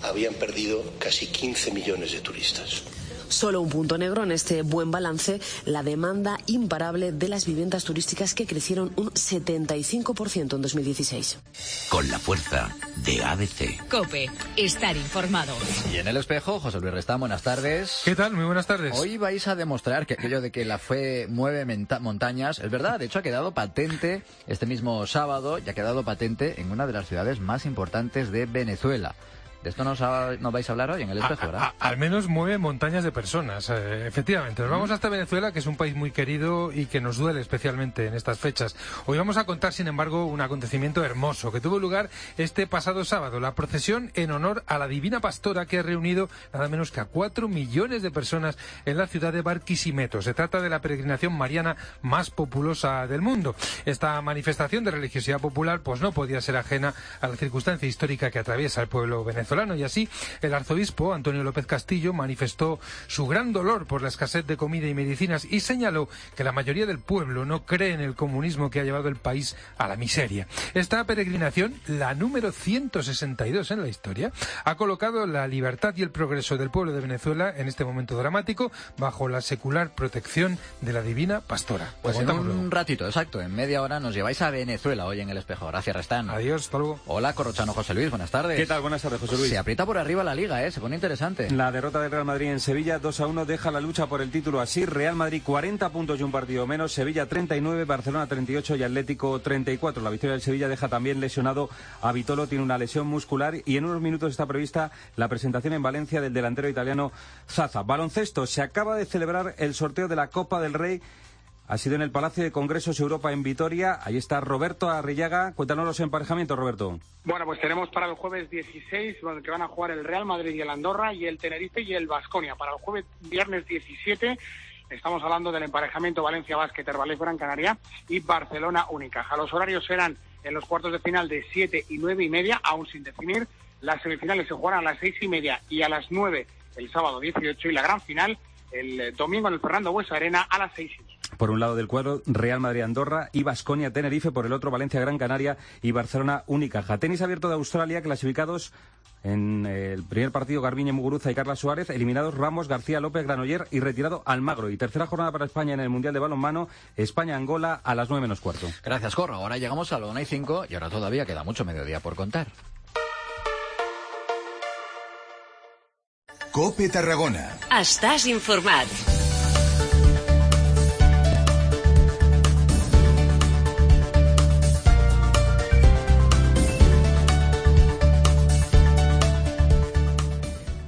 habían perdido casi 15 millones de turistas. Solo un punto negro en este buen balance, la demanda imparable de las viviendas turísticas, que crecieron un 75% en 2016. Con la fuerza de ABC. COPE, estar informado. Y en el espejo, José Luis Restán, buenas tardes. ¿Qué tal? Muy buenas tardes. Hoy vais a demostrar que aquello de que la fe mueve montañas es verdad. De hecho, ha quedado patente este mismo sábado y ha quedado patente en una de las ciudades más importantes de Venezuela. De esto nos vais a hablar hoy en el espejo, ¿verdad? Al menos mueve montañas de personas, efectivamente. Nos vamos hasta Venezuela, que es un país muy querido y que nos duele especialmente en estas fechas. Hoy vamos a contar, sin embargo, un acontecimiento hermoso que tuvo lugar este pasado sábado. La procesión en honor a la Divina Pastora, que ha reunido nada menos que a 4 millones de personas en la ciudad de Barquisimeto. Se trata de la peregrinación mariana más populosa del mundo. Esta manifestación de religiosidad popular pues no podía ser ajena a la circunstancia histórica que atraviesa el pueblo venezolano. Y así, el arzobispo Antonio López Castillo manifestó su gran dolor por la escasez de comida y medicinas y señaló que la mayoría del pueblo no cree en el comunismo que ha llevado el país a la miseria. Esta peregrinación, la número 162 en la historia, ha colocado la libertad y el progreso del pueblo de Venezuela en este momento dramático bajo la secular protección de la Divina Pastora. Pues en un ratito, exacto, en media hora nos lleváis a Venezuela hoy en el espejo. Gracias, Restán. Adiós, hasta luego. Hola, corrochano José Luis, buenas tardes. ¿Qué tal? Buenas tardes, José Luis. Se aprieta por arriba la Liga, se pone interesante. La derrota del Real Madrid en Sevilla 2-1 deja la lucha por el título así. Real Madrid 40 puntos y un partido menos, Sevilla 39, Barcelona 38 y Atlético 34. La victoria del Sevilla deja también lesionado a Vitolo, tiene una lesión muscular, y en unos minutos está prevista la presentación en Valencia del delantero italiano Zaza. Baloncesto, se acaba de celebrar el sorteo de la Copa del Rey. Ha sido en el Palacio de Congresos Europa en Vitoria. Ahí está Roberto Arrillaga. Cuéntanos los emparejamientos, Roberto. Bueno, pues tenemos para el jueves 16, que van a jugar el Real Madrid y el Andorra, y el Tenerife y el Baskonia. Para el jueves, viernes 17, estamos hablando del emparejamiento Valencia Basket, Herbalife Gran Canaria y Barcelona Unicaja. Los horarios serán en los cuartos de final de 7 y 9:30, aún sin definir. Las semifinales se jugarán a las 6:30 y a las 9 el sábado 18, y la gran final el domingo en el Fernando Buesa Arena a las 6:15. Por un lado del cuadro, Real Madrid-Andorra y Baskonia-Tenerife, por el otro Valencia-Gran Canaria y Barcelona-Unicaja. Tenis abierto de Australia, clasificados en el primer partido Garbiñe Muguruza y Carla Suárez, eliminados Ramos, García López, Granoller y retirado Almagro. Y tercera jornada para España en el Mundial de Balonmano, España-Angola a las 9:15. Gracias, Corro. Ahora llegamos a la 1:05 y ahora todavía queda mucho mediodía por contar. COPE Tarragona. Estàs informat.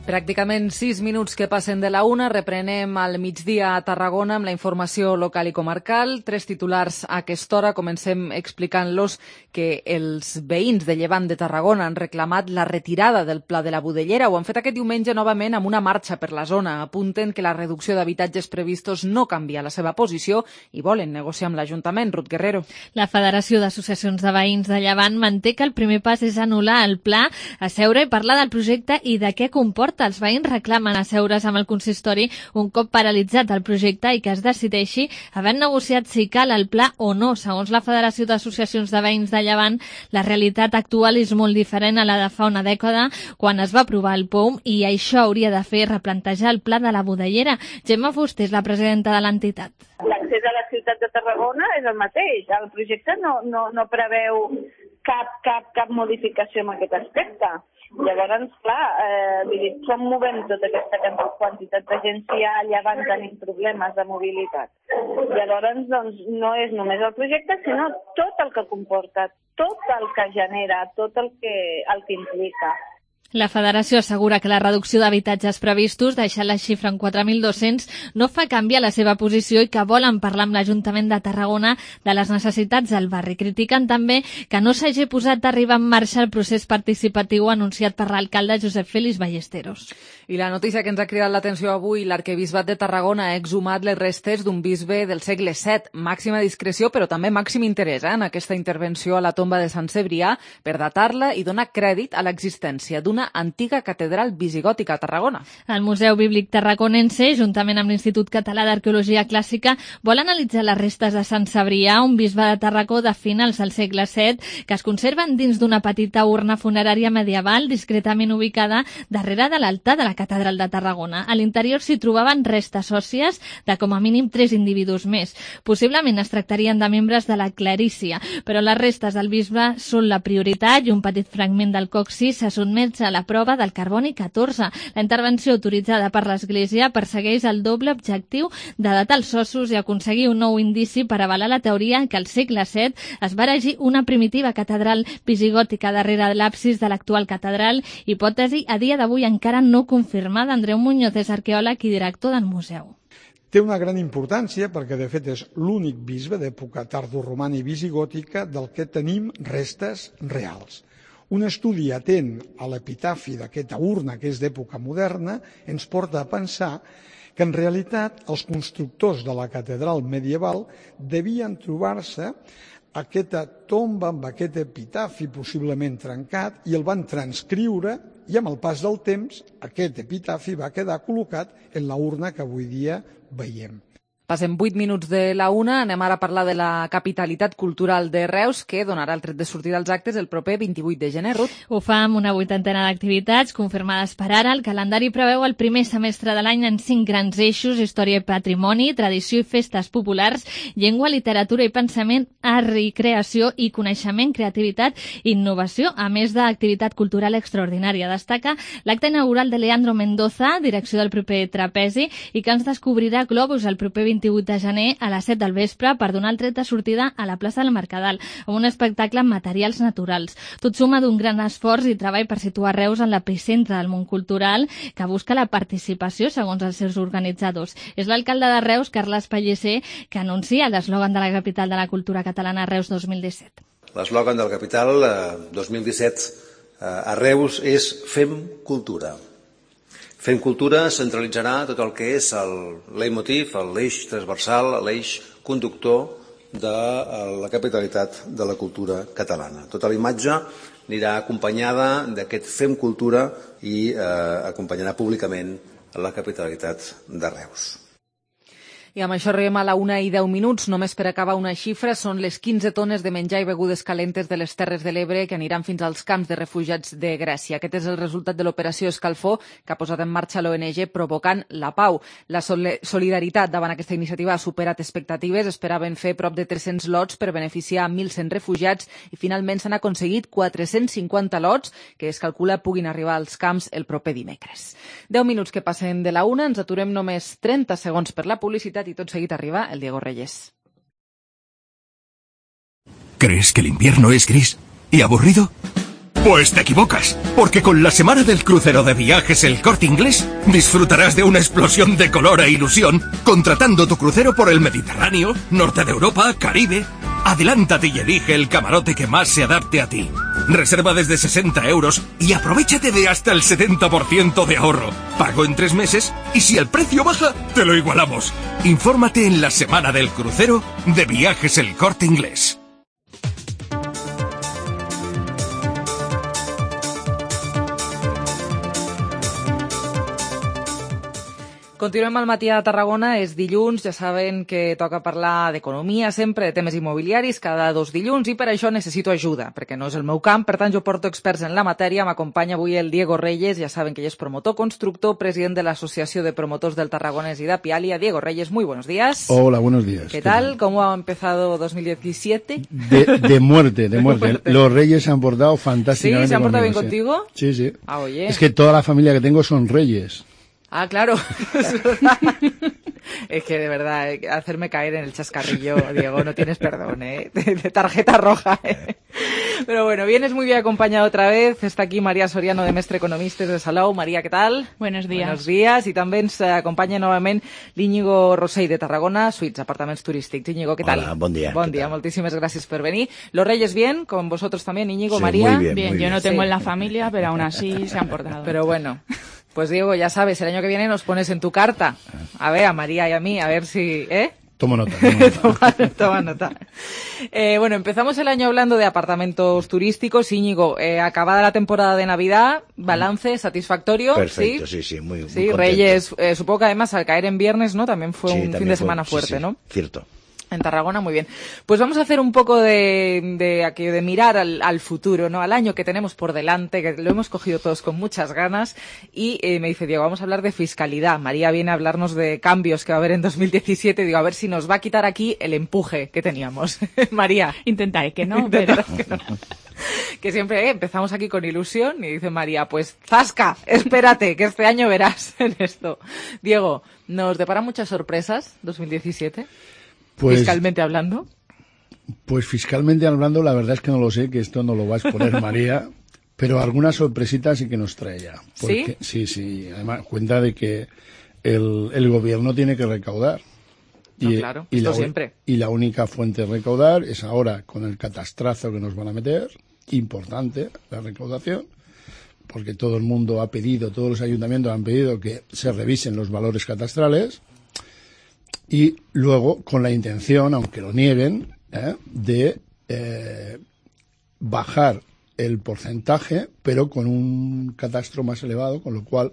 Pràcticament 6 minuts que passen de la 1. Reprenem al migdia a Tarragona amb la informació local i comarcal. 3 titulars a aquesta hora. Comencem explicant-los que els veïns de Llevant de Tarragona han reclamat la retirada del Pla de la Budellera. Ho han fet aquest diumenge novament amb una marxa per la zona. Apunten que la reducció d'habitatges previstos no canvia la seva posició i volen negociar amb l'Ajuntament. Ruth Guerrero. La Federació d'Associacions de Veïns de Llevant manté que el primer pas és anul·lar el pla, asseure i parlar del projecte i de què comporta. Els veïns reclamen asseure's amb el consistori un cop paralitzat el projecte i que es decideixi, havent negociat si cal el pla o no. Segons la Federació d'Associacions de Veïns de Llevant, la realitat actual és molt diferent a la de fa una dècada, quan es va aprovar el POUM, i això hauria de fer replantejar el pla de la Budellera. Gemma Fuster és la presidenta de l'entitat. L'accés a la ciutat de Tarragona és el mateix. El projecte no preveu cap modificació en aquest aspecte. Llavors, clar, com movem tota aquesta quantitat de gent si a Llevant tenim problemes de mobilitat? Llavors, doncs, no és només el projecte, sinó tot el que comporta, tot el que genera, tot el que implica. La Federació assegura que la reducció d'habitatges previstos, deixant la xifra en 4.200, no fa canviar la seva posició i que volen parlar amb l'Ajuntament de Tarragona de les necessitats del barri. Critiquen també que no s'hagi posat d'arribar en marxa el procés participatiu anunciat per l'alcalde Josep Félix Ballesteros. I la notícia que ens ha cridat l'atenció avui, l'Arquebisbat de Tarragona ha exhumat les restes d'un bisbe del segle VII. Màxima discreció, però també màxim interès en aquesta intervenció a la tomba de Sant Cebrià per datar-la i donar crèdit a l'existència d'una antiga catedral visigòtica a Tarragona. El Museu Bíblic Tarraconense, juntament amb l'Institut Català d'Arqueologia Clàssica, vol analitzar les restes de Sant Cebrià, un bisbe de Tarragó de finals del segle VII, que es conserven dins d'una petita urna funerària medieval discretament ubicada darrere de l'altar de la Catedral de Tarragona. A l'interior s'hi trobaven restes òssies de com a mínim 3 individus més. Possiblement es tractarien de membres de la clarícia, però les restes del bisbe són la prioritat i un petit fragment del coxis se sotmet a la prova del carboni 14. La intervenció autoritzada per l'Església persegueix el doble objectiu de datar els ossos i aconseguir un nou indici per avalar la teoria que al segle VII es va erigir una primitiva catedral visigòtica darrere de l'absis de l'actual catedral, hipòtesi a dia d'avui encara no confirmada. Andreu Muñoz és arqueòleg i director del museu. Té una gran importància perquè, de fet, és l'únic bisbe d'època tardoromana i visigòtica del que tenim restes reals. Un estudi atent a l'epitafi d'aquesta urna, que és d'època moderna, ens porta a pensar que en realitat els constructors de la catedral medieval devien trobar-se aquesta tomba amb aquest epitafi possiblement trencat i el van transcriure i amb el pas del temps aquest epitafi va quedar col·locat en la urna que avui dia veiem. Passem 8 minuts de la 1, anem ara a parlar de la capitalitat cultural de Reus, que donarà el tret de sortida als actes el proper 28 de gener. Ruth. Ho fa amb una 80ena d'activitats confirmades per ara. El calendari preveu el primer semestre de l'any en 5 grans eixos: història i patrimoni, tradició i festes populars, llengua, literatura i pensament, art i creació i coneixement, creativitat i innovació, a més d'activitat cultural extraordinària. Destaca l'acte inaugural de Leandro Mendoza, direcció del proper trapezi, i que ens descobrirà globus el proper 28 de gener a les 7 del vespre per donar el tret de sortida a la plaça del Mercadal, amb un espectacle amb materials naturals. Tot suma d'un gran esforç i treball per situar Reus en l'epicentre del món cultural, que busca la participació segons els seus organitzadors. És l'alcalde de Reus, Carles Pellicer, que anuncia l'eslògan de la capital de la cultura catalana Reus 2017. L'eslògan de la capital 2017 a Reus és Fem cultura. Fem cultura centralitzarà tot el que és el leitmotiv, l'eix transversal, l'eix conductor de la capitalitat de la cultura catalana. Tota la imatge anirà acompanyada d'aquest Fem cultura i acompanyarà públicament a la capitalitat de Reus. I amb això arribem a la 1:10. Només per acabar una xifra, són les 15 tones de menjar i begudes calentes de les Terres de l'Ebre que aniran fins als camps de refugiats de Grècia. Aquest és el resultat de l'operació Escalfor que ha posat en marxa l'ONG Provocant la Pau. La solidaritat davant aquesta iniciativa ha superat expectatives. Esperaven fer prop de 300 lots per beneficiar a 1.100 refugiats i finalment s'han aconseguit 450 lots que es calcula puguin arribar als camps el proper dimecres. 10 minuts que passen de la 1, ens aturem només 30 segons per la publicitat y todo seguido arriba el Diego Reyes. ¿Crees que el invierno es gris y aburrido? Pues te equivocas, porque con la semana del crucero de Viajes El Corte Inglés disfrutarás de una explosión de color e ilusión contratando tu crucero por el Mediterráneo, Norte de Europa, Caribe. Adelántate y elige el camarote que más se adapte a ti. Reserva desde 60 € y aprovéchate de hasta el 70% de ahorro. Pago en 3 meses y si el precio baja, te lo igualamos. Infórmate en la semana del crucero de Viajes El Corte Inglés. Continuem al matí a Tarragona, és dilluns, ja saben que toca parlar d'economia sempre, de temes immobiliaris, cada 2 dilluns, i per això necessito ajuda, perquè no és el meu camp, per tant jo porto experts en la matèria, m'acompanya avui el Diego Reyes, ja saben que ell és promotor, constructor, president de l'Associació de Promotors del Tarragonés y de Apialia. Diego Reyes, muy buenos días. Hola, buenos días. ¿Qué tal? ¿Cómo ha empezado 2017? De muerte. Los Reyes se han portado fantásticamente. ¿Sí? ¿Se han portado bien conmigo, contigo? Sí, sí. Ah, oye. Es que toda la familia que tengo son Reyes. Ah, claro. Es que de verdad, hacerme caer en el chascarrillo, Diego, no tienes perdón, ¿eh? De tarjeta roja, ¿eh? Pero bueno, vienes muy bien acompañado otra vez. Está aquí María Soriano, de Mestre Economistes de Salou. María, ¿qué tal? Buenos días. Buenos días. Y també ens acompanya novament l'Íñigo Rosell de Tarragona, Suites, apartaments turístics. Íñigo, ¿qué tal? Hola, bon dia. Bon dia, moltíssimes gràcies per venir. Los Reyes bien, con vosotros también, Íñigo, sí, María. Muy bien, yo no tengo en la familia, pero aún así se han portado. Pero bueno. Pues Diego, ya sabes, el año que viene nos pones en tu carta. A ver, a María y a mí, a ver si... ¿eh? Tomo nota. Toma nota. Bueno, empezamos el año hablando de apartamentos turísticos. Íñigo, acabada la temporada de Navidad, balance satisfactorio. Perfecto, sí, muy contento. Reyes, supongo que además al caer en viernes, ¿no? También fue un fin de semana fuerte, sí, ¿no? Cierto. En Tarragona, muy bien. Pues vamos a hacer un poco de mirar al futuro, ¿no? Al año que tenemos por delante, que lo hemos cogido todos con muchas ganas. Y me dice Diego, vamos a hablar de fiscalidad. María viene a hablarnos de cambios que va a haber en 2017. Digo, a ver si nos va a quitar aquí el empuje que teníamos. María. Intentaré que no, pero... Que siempre empezamos aquí con ilusión y dice María, pues zasca, espérate, que este año verás en esto. Diego, ¿nos depara muchas sorpresas 2017? Pues, fiscalmente hablando. Pues fiscalmente hablando, la verdad es que no lo sé, que esto no lo va a exponer María, pero alguna sorpresita sí que nos trae ya. Porque, sí. Además, cuenta de que el gobierno tiene que recaudar. No, claro, esto siempre. Y la única fuente de recaudar es ahora con el catastrazo que nos van a meter, importante la recaudación, porque todo el mundo ha pedido, todos los ayuntamientos han pedido que se revisen los valores catastrales. Y luego, con la intención, aunque lo nieguen, de bajar el porcentaje, pero con un catastro más elevado, con lo cual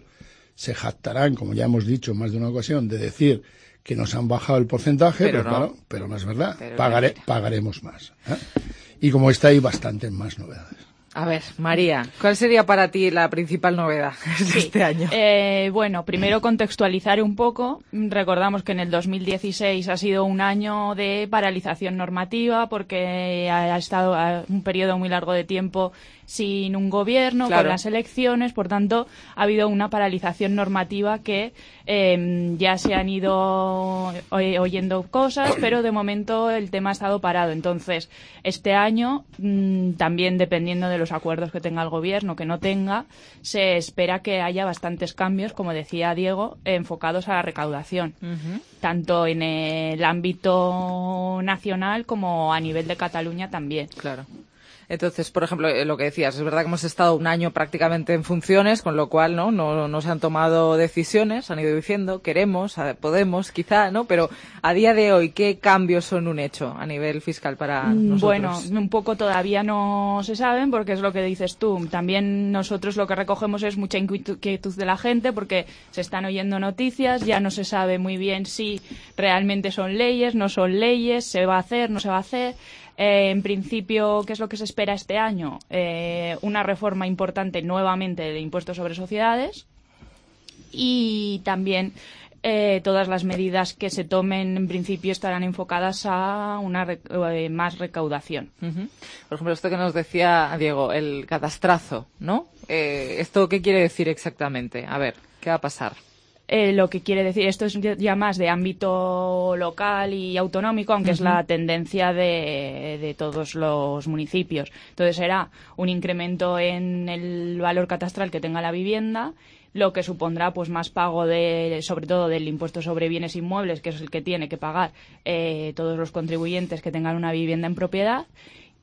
se jactarán, como ya hemos dicho en más de una ocasión, de decir que nos han bajado el porcentaje, pero no es verdad. Pagaremos más. Y como está, hay bastantes más novedades. A ver, María, ¿cuál sería para ti la principal novedad de este año? Bueno, primero contextualizar un poco. Recordamos que en el 2016 ha sido un año de paralización normativa porque ha estado un periodo muy largo de tiempo sin un gobierno, con las elecciones, por tanto ha habido una paralización normativa que ya se han ido oyendo cosas, pero de momento el tema ha estado parado. Entonces, este año, también dependiendo de los acuerdos que tenga el gobierno, que no tenga, se espera que haya bastantes cambios, como decía Diego, enfocados a la recaudación, tanto en el ámbito nacional como a nivel de Cataluña también. Claro. Entonces, por ejemplo, lo que decías, es verdad que hemos estado un año prácticamente en funciones, con lo cual no se han tomado decisiones, han ido diciendo queremos, podemos, quizá, ¿no? Pero a día de hoy, ¿qué cambios son un hecho a nivel fiscal para nosotros? Bueno, un poco todavía no se saben, porque es lo que dices tú. También nosotros lo que recogemos es mucha inquietud de la gente, porque se están oyendo noticias, ya no se sabe muy bien si realmente son leyes, no son leyes, se va a hacer, no se va a hacer. En principio, ¿qué es lo que se espera este año? Una reforma importante nuevamente del impuesto sobre sociedades y también todas las medidas que se tomen en principio estarán enfocadas a una más recaudación. Por ejemplo, esto que nos decía Diego, el catastrazo, ¿no? ¿Esto qué quiere decir exactamente? A ver, ¿qué va a pasar? Lo que quiere decir, esto es ya más de ámbito local y autonómico, aunque es la tendencia de todos los municipios. Entonces será un incremento en el valor catastral que tenga la vivienda, lo que supondrá pues más pago sobre todo del impuesto sobre bienes inmuebles, que es el que tiene que pagar todos los contribuyentes que tengan una vivienda en propiedad.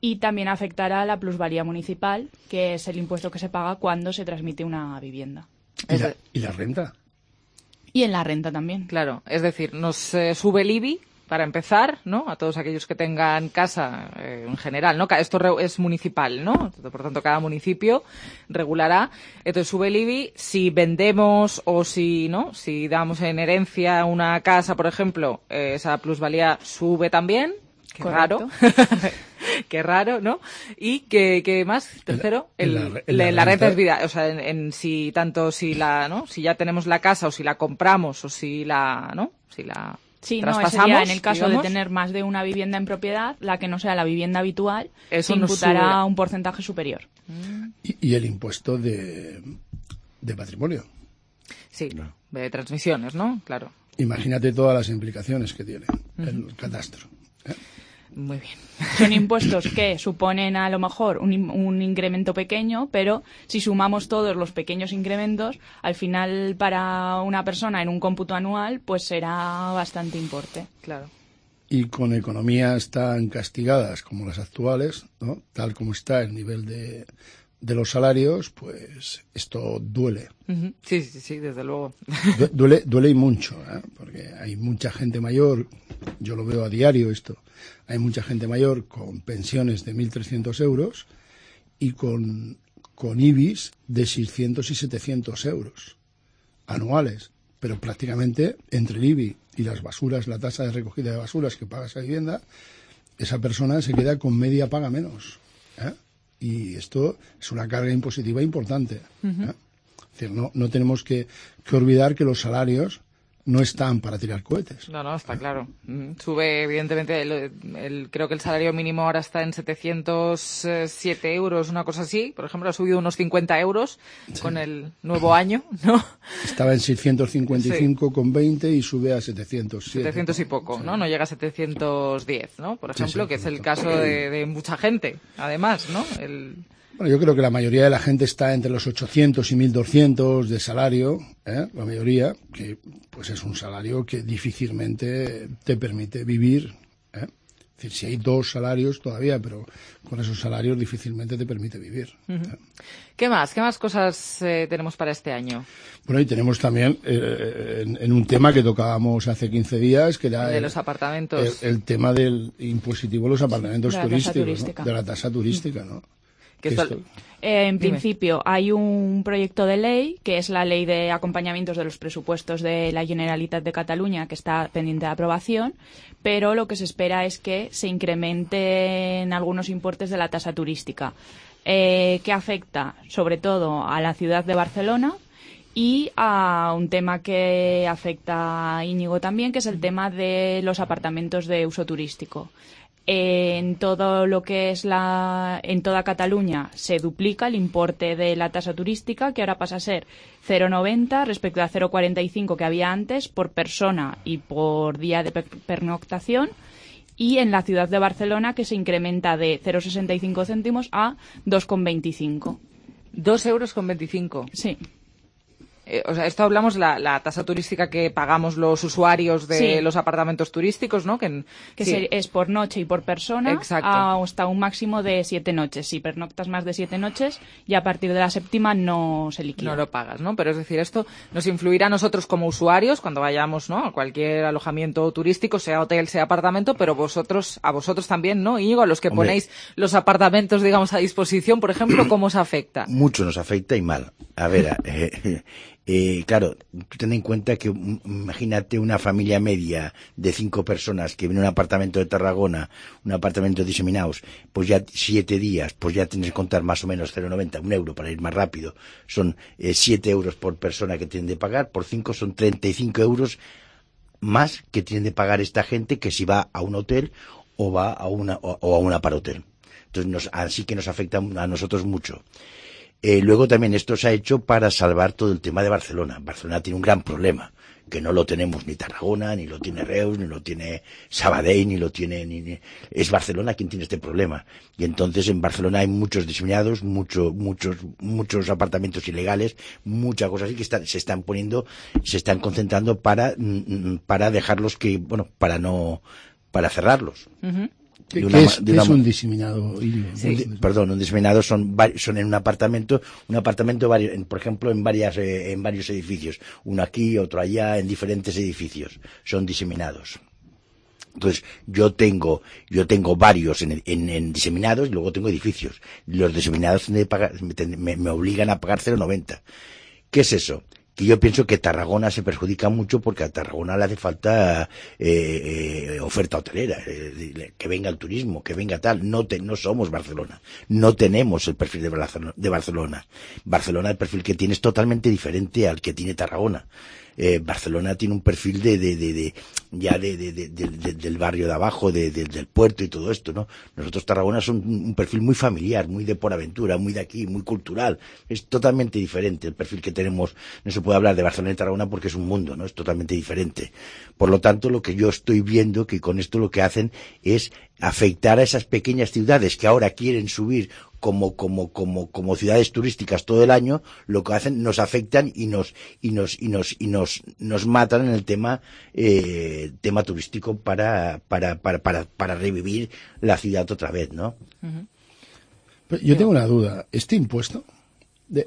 Y también afectará a la plusvalía municipal, que es el impuesto que se paga cuando se transmite una vivienda. ¿Y la renta? Y en la renta también. Claro, es decir, nos sube el IBI, para empezar, ¿no? A todos aquellos que tengan casa en general, ¿no? Esto es municipal, ¿no? Por tanto, cada municipio regulará. Entonces sube el IBI. Si vendemos o si damos en herencia una casa, por ejemplo, esa plusvalía sube también. Qué Correcto. raro. Qué raro, ¿no? Y que más, tercero, la renta es vida. O sea, si ya tenemos la casa o si la compramos o si la traspasamos. Ese sería en el caso digamos, de tener más de una vivienda en propiedad, la que no sea la vivienda habitual, eso se imputará un porcentaje superior. Y el impuesto de patrimonio. Sí, de transmisiones, ¿no? Claro. Imagínate todas las implicaciones que tiene el catastro. Muy bien. Son impuestos que suponen a lo mejor un incremento pequeño, pero si sumamos todos los pequeños incrementos, al final para una persona en un cómputo anual, pues será bastante importe. Claro. Y con economías tan castigadas como las actuales, ¿no? Tal como está el nivel de los salarios, pues esto duele. Sí, desde luego. Duele y mucho, porque hay mucha gente mayor, yo lo veo a diario esto, hay mucha gente mayor con pensiones de 1.300 euros y con IBIs de 600 y 700 euros anuales, pero prácticamente entre el IBI y las basuras, la tasa de recogida de basuras que paga esa vivienda, esa persona se queda con media paga menos. Y esto es una carga impositiva importante. Es decir, no tenemos que olvidar que los salarios no están para tirar cohetes. No, está claro. Sube, evidentemente, creo que el salario mínimo ahora está en 707 euros, una cosa así. Por ejemplo, ha subido unos 50 euros con el nuevo año, ¿no? Estaba en 655,20 y sube a 707. 700 y poco, sí. ¿no? No llega a 710, ¿no? Por ejemplo, Sí, que es el caso de mucha gente, además, ¿no? Bueno, yo creo que la mayoría de la gente está entre los 800 y 1.200 de salario, la mayoría, que pues es un salario que difícilmente te permite vivir. Es decir, si hay dos salarios todavía, pero con esos salarios difícilmente te permite vivir. ¿Qué más cosas tenemos para este año? Bueno, y tenemos también en un tema que tocábamos hace 15 días, que era de los apartamentos. El tema del impositivo de los apartamentos turísticos, ¿no? De la tasa turística, ¿no? En principio hay un proyecto de ley, que es la Ley de Acompañamientos de los Presupuestos de la Generalitat de Cataluña, que está pendiente de aprobación, pero lo que se espera es que se incrementen algunos importes de la tasa turística, que afecta sobre todo a la ciudad de Barcelona y a un tema que afecta a Íñigo también, que es el tema de los apartamentos de uso turístico. En todo lo que es en toda Cataluña se duplica el importe de la tasa turística, que ahora pasa a ser 0,90 respecto a 0,45 que había antes por persona y por día de pernoctación, y en la ciudad de Barcelona, que se incrementa de 0,65 céntimos a 2,25. 2,25 euros. Sí. O sea, esto hablamos la tasa turística que pagamos los usuarios de los apartamentos turísticos, ¿no? Es por noche y por persona. Exacto. Hasta un máximo de 7 noches. Si pernoctas más de 7 noches, y a partir de la séptima no se liquida. No lo pagas, ¿no? Pero es decir, esto nos influirá a nosotros como usuarios cuando vayamos, ¿no? A cualquier alojamiento turístico, sea hotel, sea apartamento, pero a vosotros también, ¿no, Íñigo? A los que ponéis los apartamentos, digamos, a disposición, por ejemplo, ¿cómo os afecta? Mucho nos afecta y mal. A ver, claro, tú ten en cuenta que imagínate una familia media de 5 personas que viene a un apartamento de Tarragona, un apartamento de Diseminaos, pues ya 7 días, pues ya tienes que contar más o menos 0,90, €1 para ir más rápido. Son 7 euros por persona que tienen de pagar, por 5 son 35 euros más que tienen de pagar esta gente que si va a un hotel o va a un aparhotel. Entonces así que nos afecta a nosotros mucho. Luego también esto se ha hecho para salvar todo el tema de Barcelona. Barcelona tiene un gran problema, que no lo tenemos ni Tarragona, ni lo tiene Reus, ni lo tiene Sabadell, ni lo tiene... Es Barcelona quien tiene este problema. Y entonces en Barcelona hay muchos diseminados, muchos apartamentos ilegales, muchas cosas así que se están concentrando para dejarlos para cerrarlos. Uh-huh. ¿Qué es un diseminado? Un diseminado son en un apartamento por ejemplo en varios edificios, uno aquí, otro allá, en diferentes edificios, son diseminados. Entonces yo tengo varios en diseminados y luego tengo edificios. Los diseminados me obligan a pagar 0,90. ¿Qué es eso? Que yo pienso que Tarragona se perjudica mucho porque a Tarragona le hace falta oferta hotelera, que venga el turismo, que venga tal. No somos Barcelona, no tenemos el perfil de Barcelona. Barcelona, el perfil que tiene es totalmente diferente al que tiene Tarragona. Barcelona tiene un perfil del barrio de abajo, del puerto y todo esto, ¿no? Nosotros Tarragona son un perfil muy familiar, muy de por aventura, muy de aquí, muy cultural. Es totalmente diferente el perfil que tenemos. No se puede hablar de Barcelona y Tarragona porque es un mundo, ¿no? Es totalmente diferente. Por lo tanto, lo que yo estoy viendo que con esto lo que hacen es afectar a esas pequeñas ciudades que ahora quieren subir como ciudades turísticas todo el año. Lo que hacen, nos afectan y nos matan en el tema turístico para revivir la ciudad otra vez, ¿no? Uh-huh. Yo tengo una duda. ¿Este impuesto,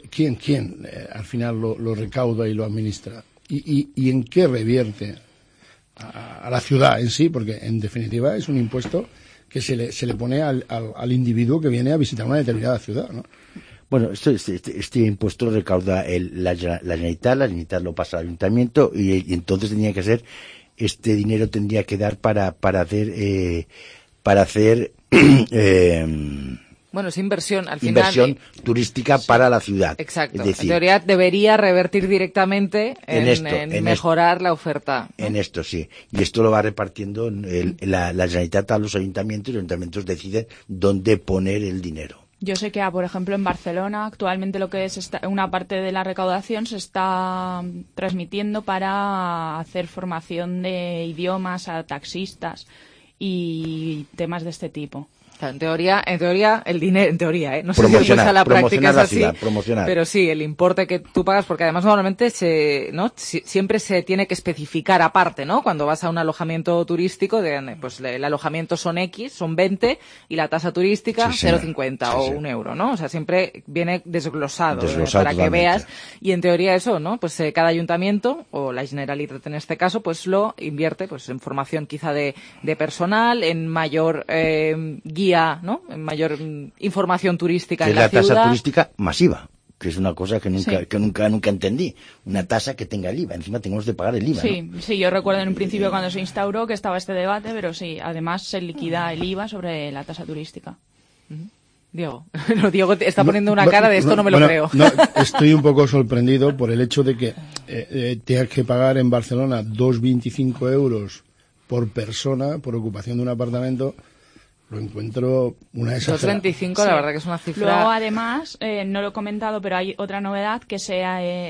quién al final lo recauda y lo administra? ¿Y en qué revierte a la ciudad en sí? Porque en definitiva es un impuesto que se le pone al individuo que viene a visitar una determinada ciudad, ¿no? Bueno, este impuesto lo recauda la Generalitat lo pasa al ayuntamiento y entonces tenía que ser, este dinero tendría que dar para hacer bueno, es inversión, al final. Inversión turística para la ciudad. Exacto. Es decir, en teoría debería revertir directamente en mejorar la oferta, ¿no? En esto, sí. Y esto lo va repartiendo la Generalitat a los ayuntamientos y los ayuntamientos deciden dónde poner el dinero. Yo sé que, por ejemplo, en Barcelona actualmente lo que es una parte de la recaudación se está transmitiendo para hacer formación de idiomas a taxistas y temas de este tipo. Claro, en teoría, el dinero, no sé si a la práctica es así, pero sí, el importe que tú pagas, porque además normalmente siempre se tiene que especificar aparte, ¿no? Cuando vas a un alojamiento turístico, pues el alojamiento son X, son 20, y la tasa turística 0,50 o €1, ¿no? O sea, siempre viene desglosado para que veas, y en teoría eso, ¿no? Pues cada ayuntamiento, o la Generalitat en este caso, pues lo invierte pues en formación quizá de personal, en mayor guía, ¿no? En mayor información turística en la ciudad. Es la tasa turística masiva, que es una cosa que nunca entendí. Una tasa que tenga el IVA. Encima tenemos de pagar el IVA, sí, ¿no? Sí, yo recuerdo en un principio cuando se instauró que estaba este debate, pero sí, además se liquida el IVA sobre la tasa turística. Diego, Diego está poniendo una cara de esto, no me lo creo. No, estoy un poco sorprendido por el hecho de que tengas que pagar en Barcelona 2,25 euros por persona por ocupación de un apartamento. Lo encuentro una exageración. 2,25, la verdad que es una cifra. Luego, además, no lo he comentado, pero hay otra novedad que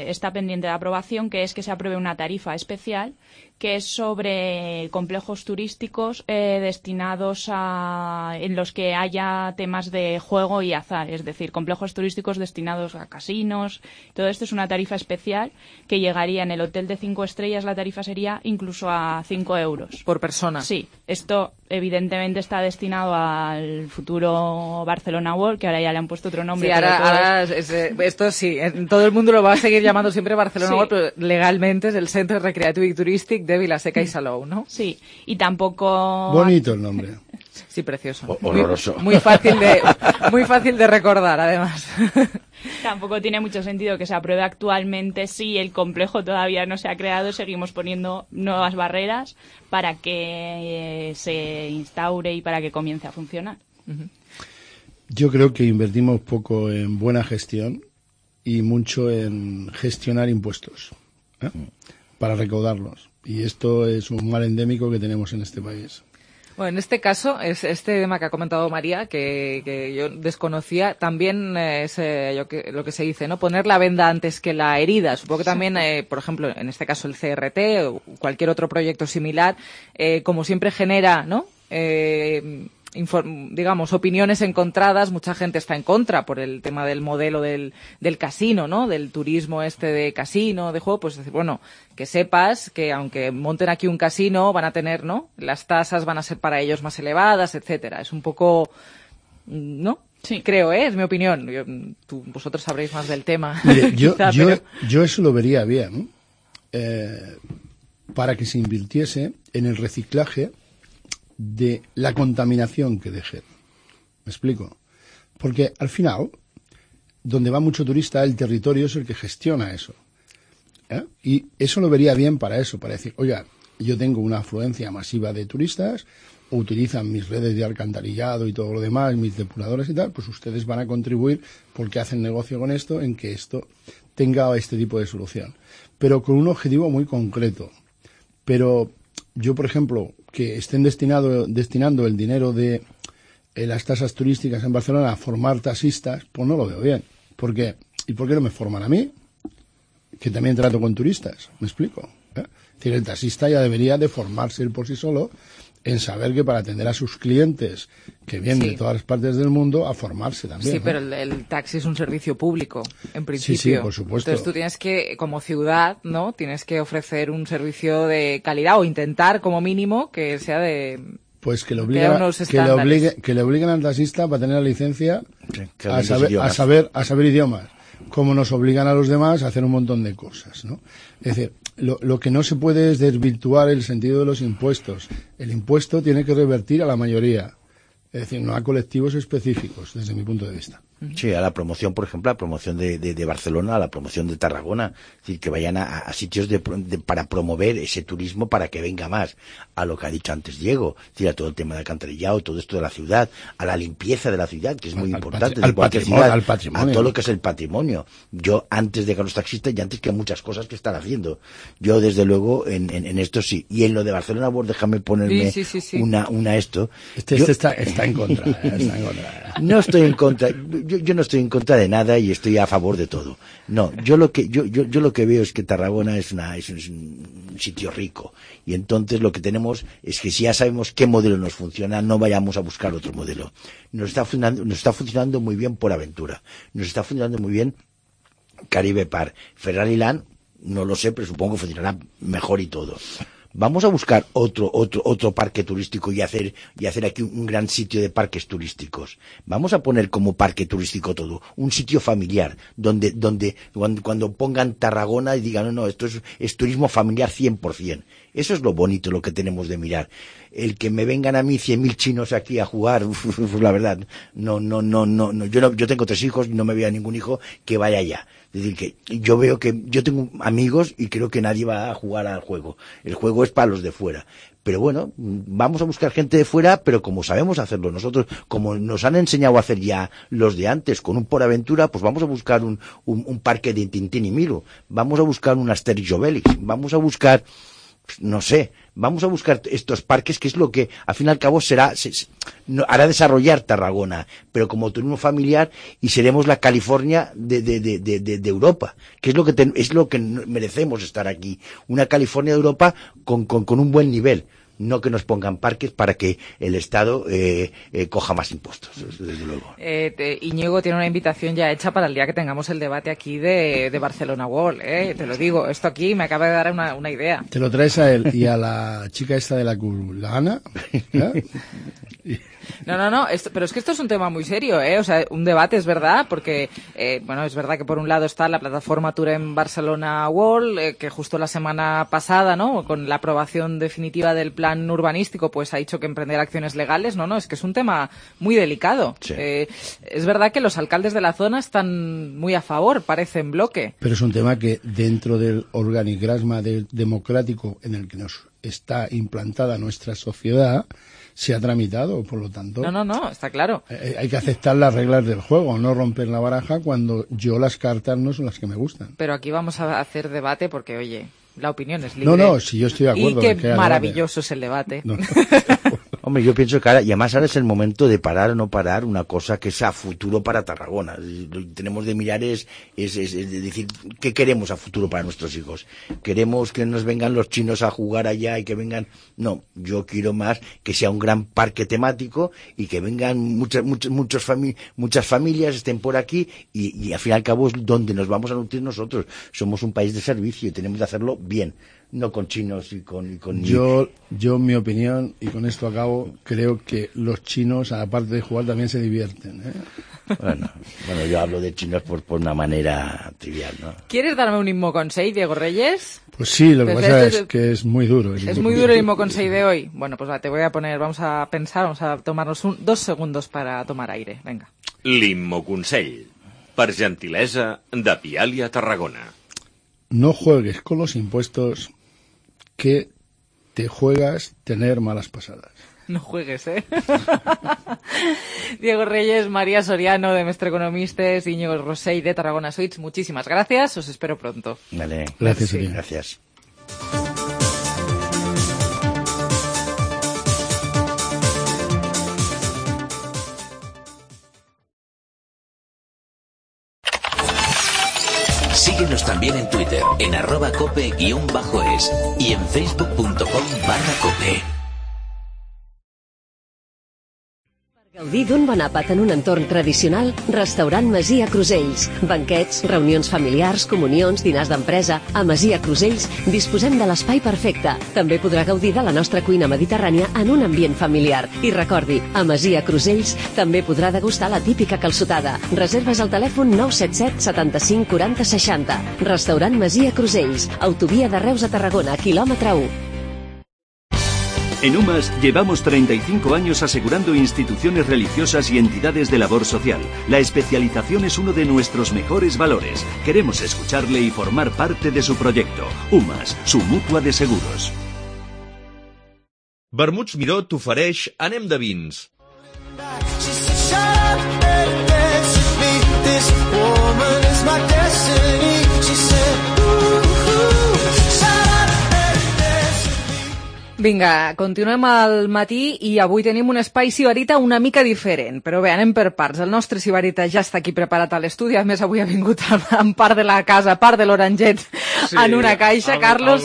está pendiente de aprobación, que es que se apruebe una tarifa especial que es sobre complejos turísticos destinados en los que haya temas de juego y azar, es decir, complejos turísticos destinados a casinos. Todo esto es una tarifa especial que llegaría en el hotel de 5 estrellas, la tarifa sería incluso a 5 euros. ¿Por persona? Sí, esto evidentemente está destinado al futuro Barcelona World, que ahora ya le han puesto otro nombre. Sí, ahora esto sí, todo el mundo lo va a seguir llamando siempre Barcelona World, pero legalmente es el Centre Recreativo y Turístico de Vilaseca y Salou, ¿no? Sí, y tampoco... Bonito el nombre. Sí, precioso. Horroroso. Muy fácil de recordar, además. Tampoco tiene mucho sentido que se apruebe actualmente si el complejo todavía no se ha creado. Seguimos poniendo nuevas barreras para que se instaure y para que comience a funcionar. Yo creo que invertimos poco en buena gestión y mucho en gestionar impuestos, para recaudarlos. Y esto es un mal endémico que tenemos en este país. Bueno, en este caso, este tema que ha comentado María, que yo desconocía, también es lo que se dice, ¿no? Poner la venda antes que la herida. Supongo que también, por ejemplo, en este caso el CRT o cualquier otro proyecto similar, como siempre genera, ¿no? Digamos, opiniones encontradas. Mucha gente está en contra por el tema del modelo del casino, ¿no? Del turismo de casino, de juego. Pues decir, bueno, que sepas que aunque monten aquí un casino, van a tener, ¿no? Las tasas van a ser para ellos más elevadas, etcétera. Es un poco, ¿no? Sí. Creo, es mi opinión. Vosotros sabréis más del tema. Mire, yo eso lo vería bien, para que se invirtiese en el reciclaje de la contaminación que dejen. ¿Me explico? Porque al final, donde va mucho turista, el territorio es el que gestiona eso. Y eso lo vería bien para eso, para decir, oiga, yo tengo una afluencia masiva de turistas, utilizan mis redes de alcantarillado y todo lo demás, mis depuradores y tal, pues ustedes van a contribuir, porque hacen negocio con esto, en que esto tenga este tipo de solución. Pero con un objetivo muy concreto. Pero yo, por ejemplo, que estén destinando el dinero de las tasas turísticas en Barcelona a formar taxistas, pues no lo veo bien. ¿Por qué? ¿Y por qué no me forman a mí? Que también trato con turistas, ¿me explico? Es decir, el taxista ya debería de formarse él por sí solo en saber que para atender a sus clientes que vienen de todas las partes del mundo, a formarse también. Sí, pero el taxi es un servicio público, en principio. Sí, por supuesto. Entonces tú tienes que, como ciudad, ¿no? Tienes que ofrecer un servicio de calidad o intentar, como mínimo, que sea de... Pues que le obliguen al taxista para tener la licencia a saber idiomas, como nos obligan a los demás a hacer un montón de cosas, ¿no? Es decir, lo que no se puede es desvirtuar el sentido de los impuestos. El impuesto tiene que revertir a la mayoría, es decir, no a colectivos específicos, desde mi punto de vista. Sí, a la promoción, por ejemplo, a la promoción de Barcelona, a la promoción de Tarragona, es decir, que vayan a sitios para promover ese turismo para que venga más, a lo que ha dicho antes Diego, es decir, a todo el tema de alcantarillado, todo esto de la ciudad, a la limpieza de la ciudad, que es muy importante, al patrimonio, a todo lo que es el patrimonio. Yo, antes de que los taxistas y antes que muchas cosas que están haciendo, yo desde luego en esto sí, y en lo de Barcelona, pues déjame ponerme una esto. Está en contra, está en contra. No estoy en contra. Yo no estoy en contra de nada y estoy a favor de todo. No, yo lo que veo es que Tarragona es un sitio rico y entonces lo que tenemos es que si ya sabemos qué modelo nos funciona, no vayamos a buscar otro modelo. Nos está funcionando muy bien por Aventura, nos está funcionando muy bien Caribe Park, Ferrari Land, no lo sé, pero supongo que funcionará mejor y todo. Vamos a buscar otro parque turístico y hacer aquí un gran sitio de parques turísticos. Vamos a poner como parque turístico todo, un sitio familiar, donde cuando pongan Tarragona y digan, no, esto es turismo familiar 100%. Eso es lo bonito, lo que tenemos de mirar. El que me vengan a mí 100.000 chinos aquí a jugar, la verdad, no. Yo tengo 3 hijos y no me veo a ningún hijo que vaya allá. Es decir, que yo veo que yo tengo amigos y creo que nadie va a jugar al juego. El juego es para los de fuera. Pero bueno, vamos a buscar gente de fuera, pero como sabemos hacerlo nosotros, como nos han enseñado a hacer ya los de antes, con un Por Aventura, pues vamos a buscar un parque de Tintín y Milo. Vamos a buscar un Asterix y Obelix. Vamos a buscar no sé, vamos a buscar estos parques, que es lo que al fin y al cabo hará desarrollar Tarragona, pero como turismo familiar, y seremos la California de Europa, que es lo que merecemos estar aquí, una California de Europa con un buen nivel. No que nos pongan parques para que el Estado coja más impuestos, desde luego. Íñigo tiene una invitación ya hecha para el día que tengamos el debate aquí de Barcelona World, te lo digo, esto aquí me acaba de dar una idea. Te lo traes a él y a la chica esta de la Ana. No, pero es que esto es un tema muy serio, o sea, un debate, es verdad, porque, es verdad que por un lado está la plataforma Turem Barcelona World, que justo la semana pasada, ¿no?, con la aprobación definitiva del plan urbanístico, pues ha dicho que emprender acciones legales, no, es que es un tema muy delicado. Sí. Es verdad que los alcaldes de la zona están muy a favor, parece en bloque. Pero es un tema que dentro del organigrama democrático en el que nos está implantada nuestra sociedad, se ha tramitado, por lo tanto... No, está claro. Hay que aceptar las reglas del juego, no romper la baraja cuando las cartas no son las que me gustan. Pero aquí vamos a hacer debate porque, oye, la opinión es libre. No, si yo estoy de acuerdo. Y qué maravilloso es el debate. No. Hombre, yo pienso que además ahora es el momento de parar o no parar una cosa que es a futuro para Tarragona. Lo que tenemos de mirar es decir, ¿qué queremos a futuro para nuestros hijos? ¿Queremos que nos vengan los chinos a jugar allá y que vengan? No, yo quiero más que sea un gran parque temático y que vengan muchas familias, estén por aquí y al fin y al cabo es donde nos vamos a nutrir nosotros. Somos un país de servicio y tenemos que hacerlo bien. No con chinos y con... Yo, mi opinión, y con esto acabo, creo que los chinos, aparte de jugar, también se divierten, Bueno, yo hablo de chinos por una manera trivial, ¿no? ¿Quieres darme un Immo Consell, Diego Reyes? Pues sí, lo que pasa es que es muy duro. Es muy duro el Immo Consell de hoy. Bueno, pues te voy a poner, vamos a tomarnos 2 segundos para tomar aire, venga. L'Immo Consell, per gentilesa de Pialia Tarragona. No juegues con los impuestos que te juegas tener malas pasadas. No juegues, Diego Reyes, María Soriano, de Mestre Economistes, Íñigo Rosell, de Tarragona Suites, muchísimas gracias, os espero pronto. Vale, gracias. Sí. Gracias. Síguenos también en Twitter, en @cope_es y en facebook.com/cope. Gaudir d'un bon àpat en un entorn tradicional, Restaurant Masia Crusells. Banquets, reunions familiars, comunions, dinars d'empresa. A Masia Crusells disposem de l'espai perfecte. També podrà gaudir de la nostra cuina mediterrània en un ambient familiar. I recordi, a Masia Crusells també podrà degustar la típica calçotada. Reserves al telèfon 977 75 40 60. Restaurant Masia Crusells, autovia de Reus a Tarragona, quilòmetre 1. En UMAS llevamos 35 años asegurando instituciones religiosas y entidades de labor social. La especialización es uno de nuestros mejores valores. Queremos escucharle y formar parte de su proyecto. UMAS, su mutua de seguros. Vermuts Miró t'ofereix Anem de vins. Vinga, continuem al matí i avui tenim un espai Sibarita una mica diferent, però bé, anem per parts. El nostre Sibarita ja està aquí preparat a l'estudi, a més avui ha vingut amb part de la casa, part de l'Oranget, sí, en una caixa. Carlos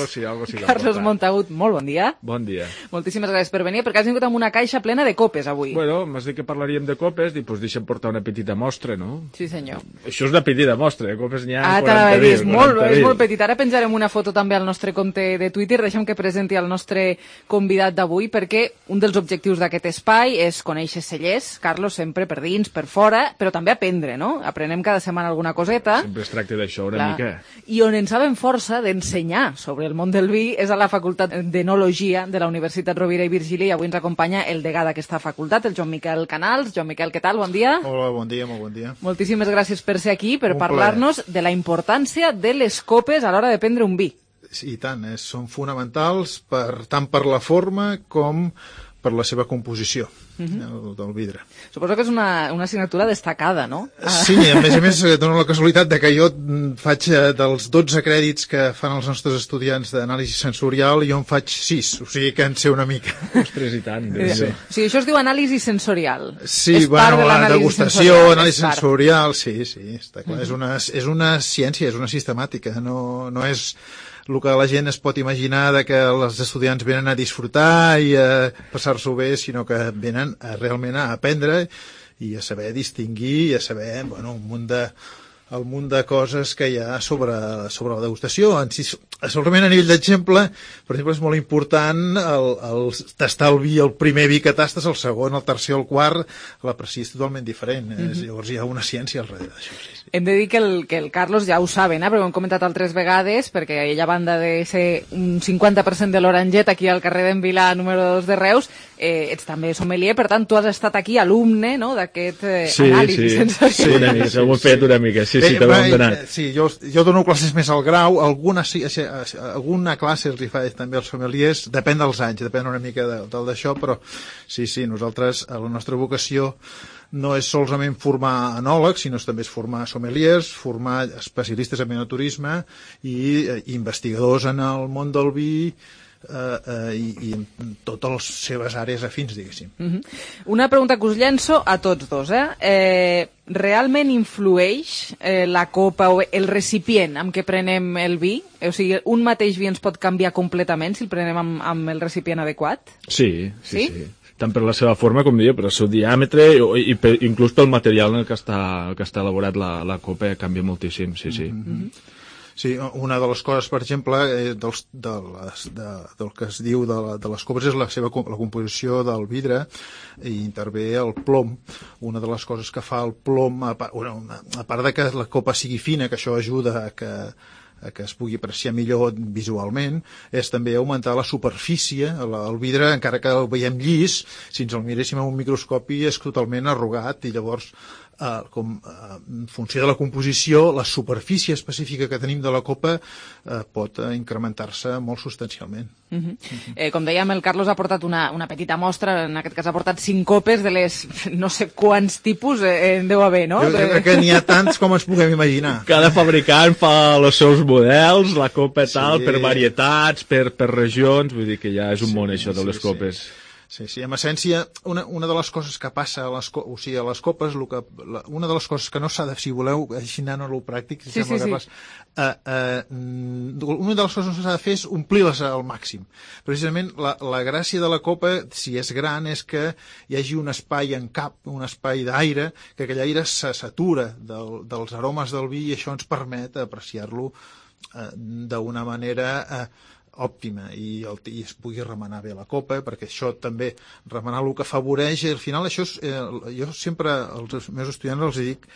Montagut, molt bon dia. Bon dia. Moltíssimes gràcies per venir, perquè has vingut amb una caixa plena de copes avui. Bueno, m'has dit que parlaríem de copes, i doncs deixa'm portar una petita mostra, no? Sí, senyor. Això és una petita mostra, copes n'hi ha 40.000. És molt petit. Ara penjarem una foto també al nostre compte de Twitter, deixem que presenti el nostre convidat d'avui, perquè un dels objectius d'aquest espai és conèixer cellers, Carlos, sempre per dins, per fora, però també aprendre, no? Aprenem cada setmana alguna coseta. Sempre es tracta d'això una mica. I on ens sabem força d'ensenyar sobre el món del vi és a la Facultat d'Enologia de la Universitat Rovira i Virgili, i avui ens acompanya el degà d'aquesta facultat, el Joan Miquel Canals. Joan Miquel, què tal? Bon dia. Hola, bon dia, molt bon dia. Moltíssimes gràcies per ser aquí, per parlar-nos de la importància de les copes a l'hora de prendre un vi. Sí, i tant, són fonamentals tant per la forma com per la seva composició del vidre. Suposo que és una assignatura destacada, no? Sí, a més, dono la casualitat de que jo faig dels 12 crèdits que fan els nostres estudiants d'anàlisi sensorial, jo en faig 6, o sigui que en sé una mica. Ostres, i tant. Sí. O sigui, això es diu anàlisi sensorial. Sí, bueno, la degustació, anàlisi sensorial, sí, està clar. És una ciència, és una sistemàtica, no és el que la gent es pot imaginar de que els estudiants venen a disfrutar i a passar-s'ho bé, sinó que venen realment a aprendre i a saber distingir i a saber un munt de coses que hi ha sobre la degustació. Segurament a nivell d'exemple, per exemple, és molt important el tastar el vi, el primer vi que tastes, el segon, el tercer o el quart, l'apreci és totalment diferent. Llavors hi ha una ciència al darrere d'això. Sí. Hem de dir que el Carlos ja ho saben, perquè ho hem comentat altres vegades, perquè ell, a banda de ser un 50% de l'Oranget aquí al carrer d'en Vilà, número 2 de Reus, ets també sommelier, per tant, tu has estat aquí alumne, no?, d'aquest anàlisi sensorial. Sí, una mica, ho he fet una mica, sí, també ho hem donat. Sí, jo dono classes més al grau, alguna classe els hi faig també als sommeliers, depèn dels anys, depèn una mica d'això, però sí, nosaltres, la nostra vocació no és solament formar enòlegs, sinó també és formar sommeliers, formar especialistes en enoturisme i investigadors en el món del vi i en totes les seves àrees afins, diguéssim. Una pregunta que us llenço a tots dos. Realment influeix la copa o el recipient amb què prenem el vi? O sigui, un mateix vi ens pot canviar completament si el prenem amb el recipient adequat? Sí. Tant per la seva forma, com deia, per el seu diàmetre i inclús pel material en el que està elaborat la copa canvia moltíssim, sí. Sí, una de les coses, per exemple, del que es diu de les copes és la composició del vidre, i intervé el plom. Una de les coses que fa el plom, a part de que la copa sigui fina, que això ajuda a que es pugui apreciar millor visualment, és també augmentar la superfície. El vidre, encara que el veiem llis, si ens el miréssim amb un microscopi és totalment arrugat, i llavors en funció de la composició, la superfície específica que tenim de la copa pot incrementar-se molt substancialment. Com dèiem, el Carlos ha portat una petita mostra, en aquest cas ha portat 5 copes de les no sé quants tipus en deu haver, no? Jo crec que n'hi ha tants com ens puguem imaginar. Cada fabricant fa els seus models, la copa tal, per varietats, per regions, vull dir que ja és un món això de les copes. Sí, en essència, una de les coses que passa a les copes, una de les coses que no s'ha de, si voleu, així anant a lo pràctic, una de les coses que s'ha de fer és omplir-les al màxim. Precisament, la gràcia de la copa, si és gran, és que hi hagi un espai en cap, un espai d'aire, que aquell aire se satura dels aromes del vi, i això ens permet apreciar-lo d'una manera òptima i es pugui remenar bé la copa, perquè això també, remenar el que afavoreix, i al final això jo sempre als meus estudiants els dic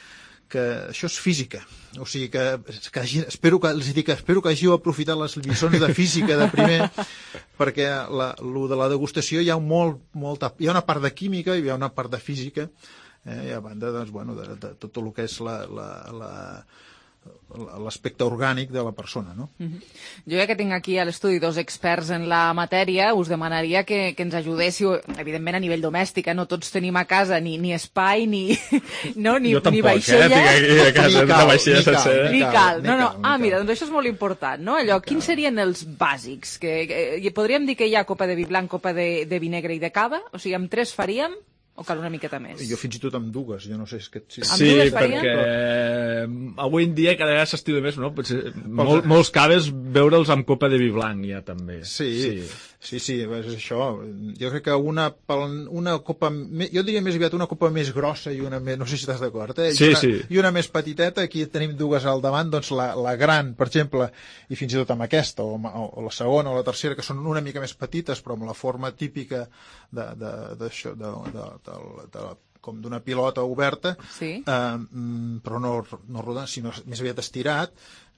que això és física, o sigui que espero que hàgiu aprofitat les lliçons de física de primer, perquè lo de la degustació hi ha una part de química i hi ha una part de física, i a banda de tot el que és l'aspecte orgànic de la persona, no? Jo, ja que tinc aquí a l'estudi 2 experts en la matèria, us demanaria que ens ajudéssiu, evidentment a nivell domèstic, no tots tenim a casa ni espai, ni vaixella. Jo tampoc, ni cal. Mira, doncs això és molt important, no? Allò, quins serien els bàsics? Podríem dir que hi ha copa de vi blanc, copa de vi negre i de cava? O sigui, amb 3 faríem? O cal una miqueta més? Jo fins i tot amb 2, jo no sé... Sí, perquè avui en dia cada vegada s'estila més, no? Molts caves veure'ls amb copa de vi blanc ja també. Sí, és això. Jo crec que una copa... Jo diria més aviat una copa més grossa i una més... No sé si estàs d'acord, i una més petiteta. Aquí tenim 2 al davant, doncs la gran, per exemple, i fins i tot amb aquesta, o la segona o la tercera, que són una mica més petites, però amb la forma típica d'això, com d'una pilota oberta, però no rodant, sinó més aviat estirat.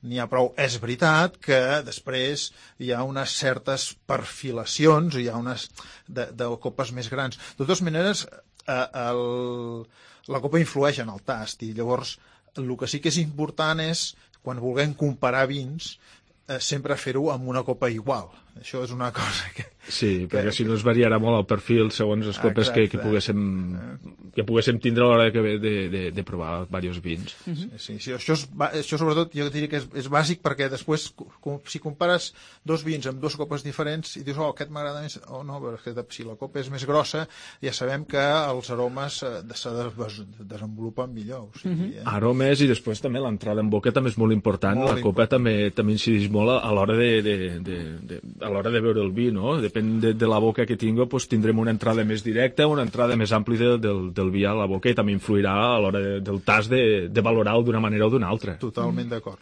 N'hi ha prou. És veritat que després hi ha unes certes perfilacions, hi ha unes de copes més grans. De totes maneres, la copa influeix en el tast, i llavors el que sí que és important és, quan vulguem comparar vins, sempre fer-ho amb una copa igual. Això és una cosa Sí, perquè si no es variarà molt el perfil segons les copes que poguéssim tindre a l'hora de provar diversos vins. Sí, això sobretot jo diria que és bàsic, perquè després si compares dos vins amb dues copes diferents i dius, aquest m'agrada més, o no, perquè si la copa és més grossa ja sabem que els aromes se desenvolupen millor. Aromes, i després també l'entrada en boca també és molt important. La copa també incideix molt a l'hora de beure el vi, no? Depèn de la boca que tingui, tindrem una entrada més directa, una entrada més àmplia del vi a la boca, i també influirà a l'hora del tast de valorar-ho d'una manera o d'una altra. Totalment d'acord.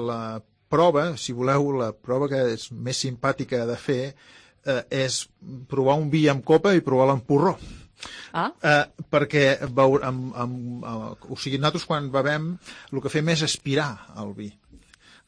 La prova, si voleu, la prova que és més simpàtica de fer és provar un vi amb copa i provar-lo amb porró. Perquè nosaltres quan bevem el que fem és aspirar el vi,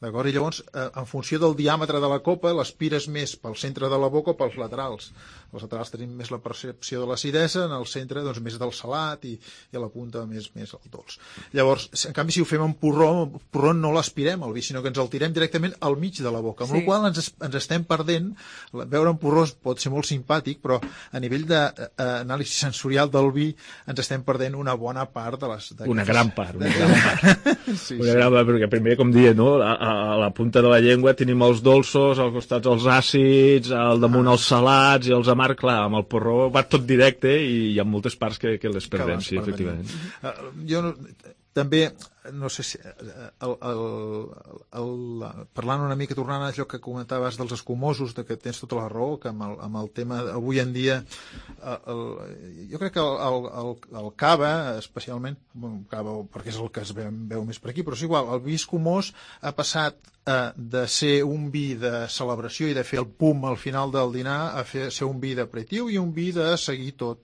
d'acord? I llavors, en funció del diàmetre de la copa, l'aspires més pel centre de la boca o pels laterals. Els laterals tenim més la percepció de l'acidesa, en el centre més del salat, i a la punta més el dolç. Llavors, en canvi, si ho fem amb porró no l'aspirem el vi, sinó que ens el tirem directament al mig de la boca, amb la qual cosa ens estem perdent. Beure amb porró pot ser molt simpàtic, però a nivell d'anàlisi sensorial del vi ens estem perdent una bona part de les... Una gran part. Una gran part, perquè primer, com deia, no? A la punta de la llengua tenim els dolços, als costats els àcids, al damunt els salats i els amargs. Clar, amb el porró va tot directe i hi ha moltes parts que les perdem, sí, efectivament. Jo també, no sé si... parlant una mica, tornant a allò que comentaves dels escumosos, que tens tota la raó, que amb el tema avui en dia, jo crec que el cava, especialment, cava perquè és el que es veu més per aquí, però és igual, el vi escumós ha passat de ser un vi de celebració i de fer el pum al final del dinar a ser un vi d'aperitiu i un vi de seguir tot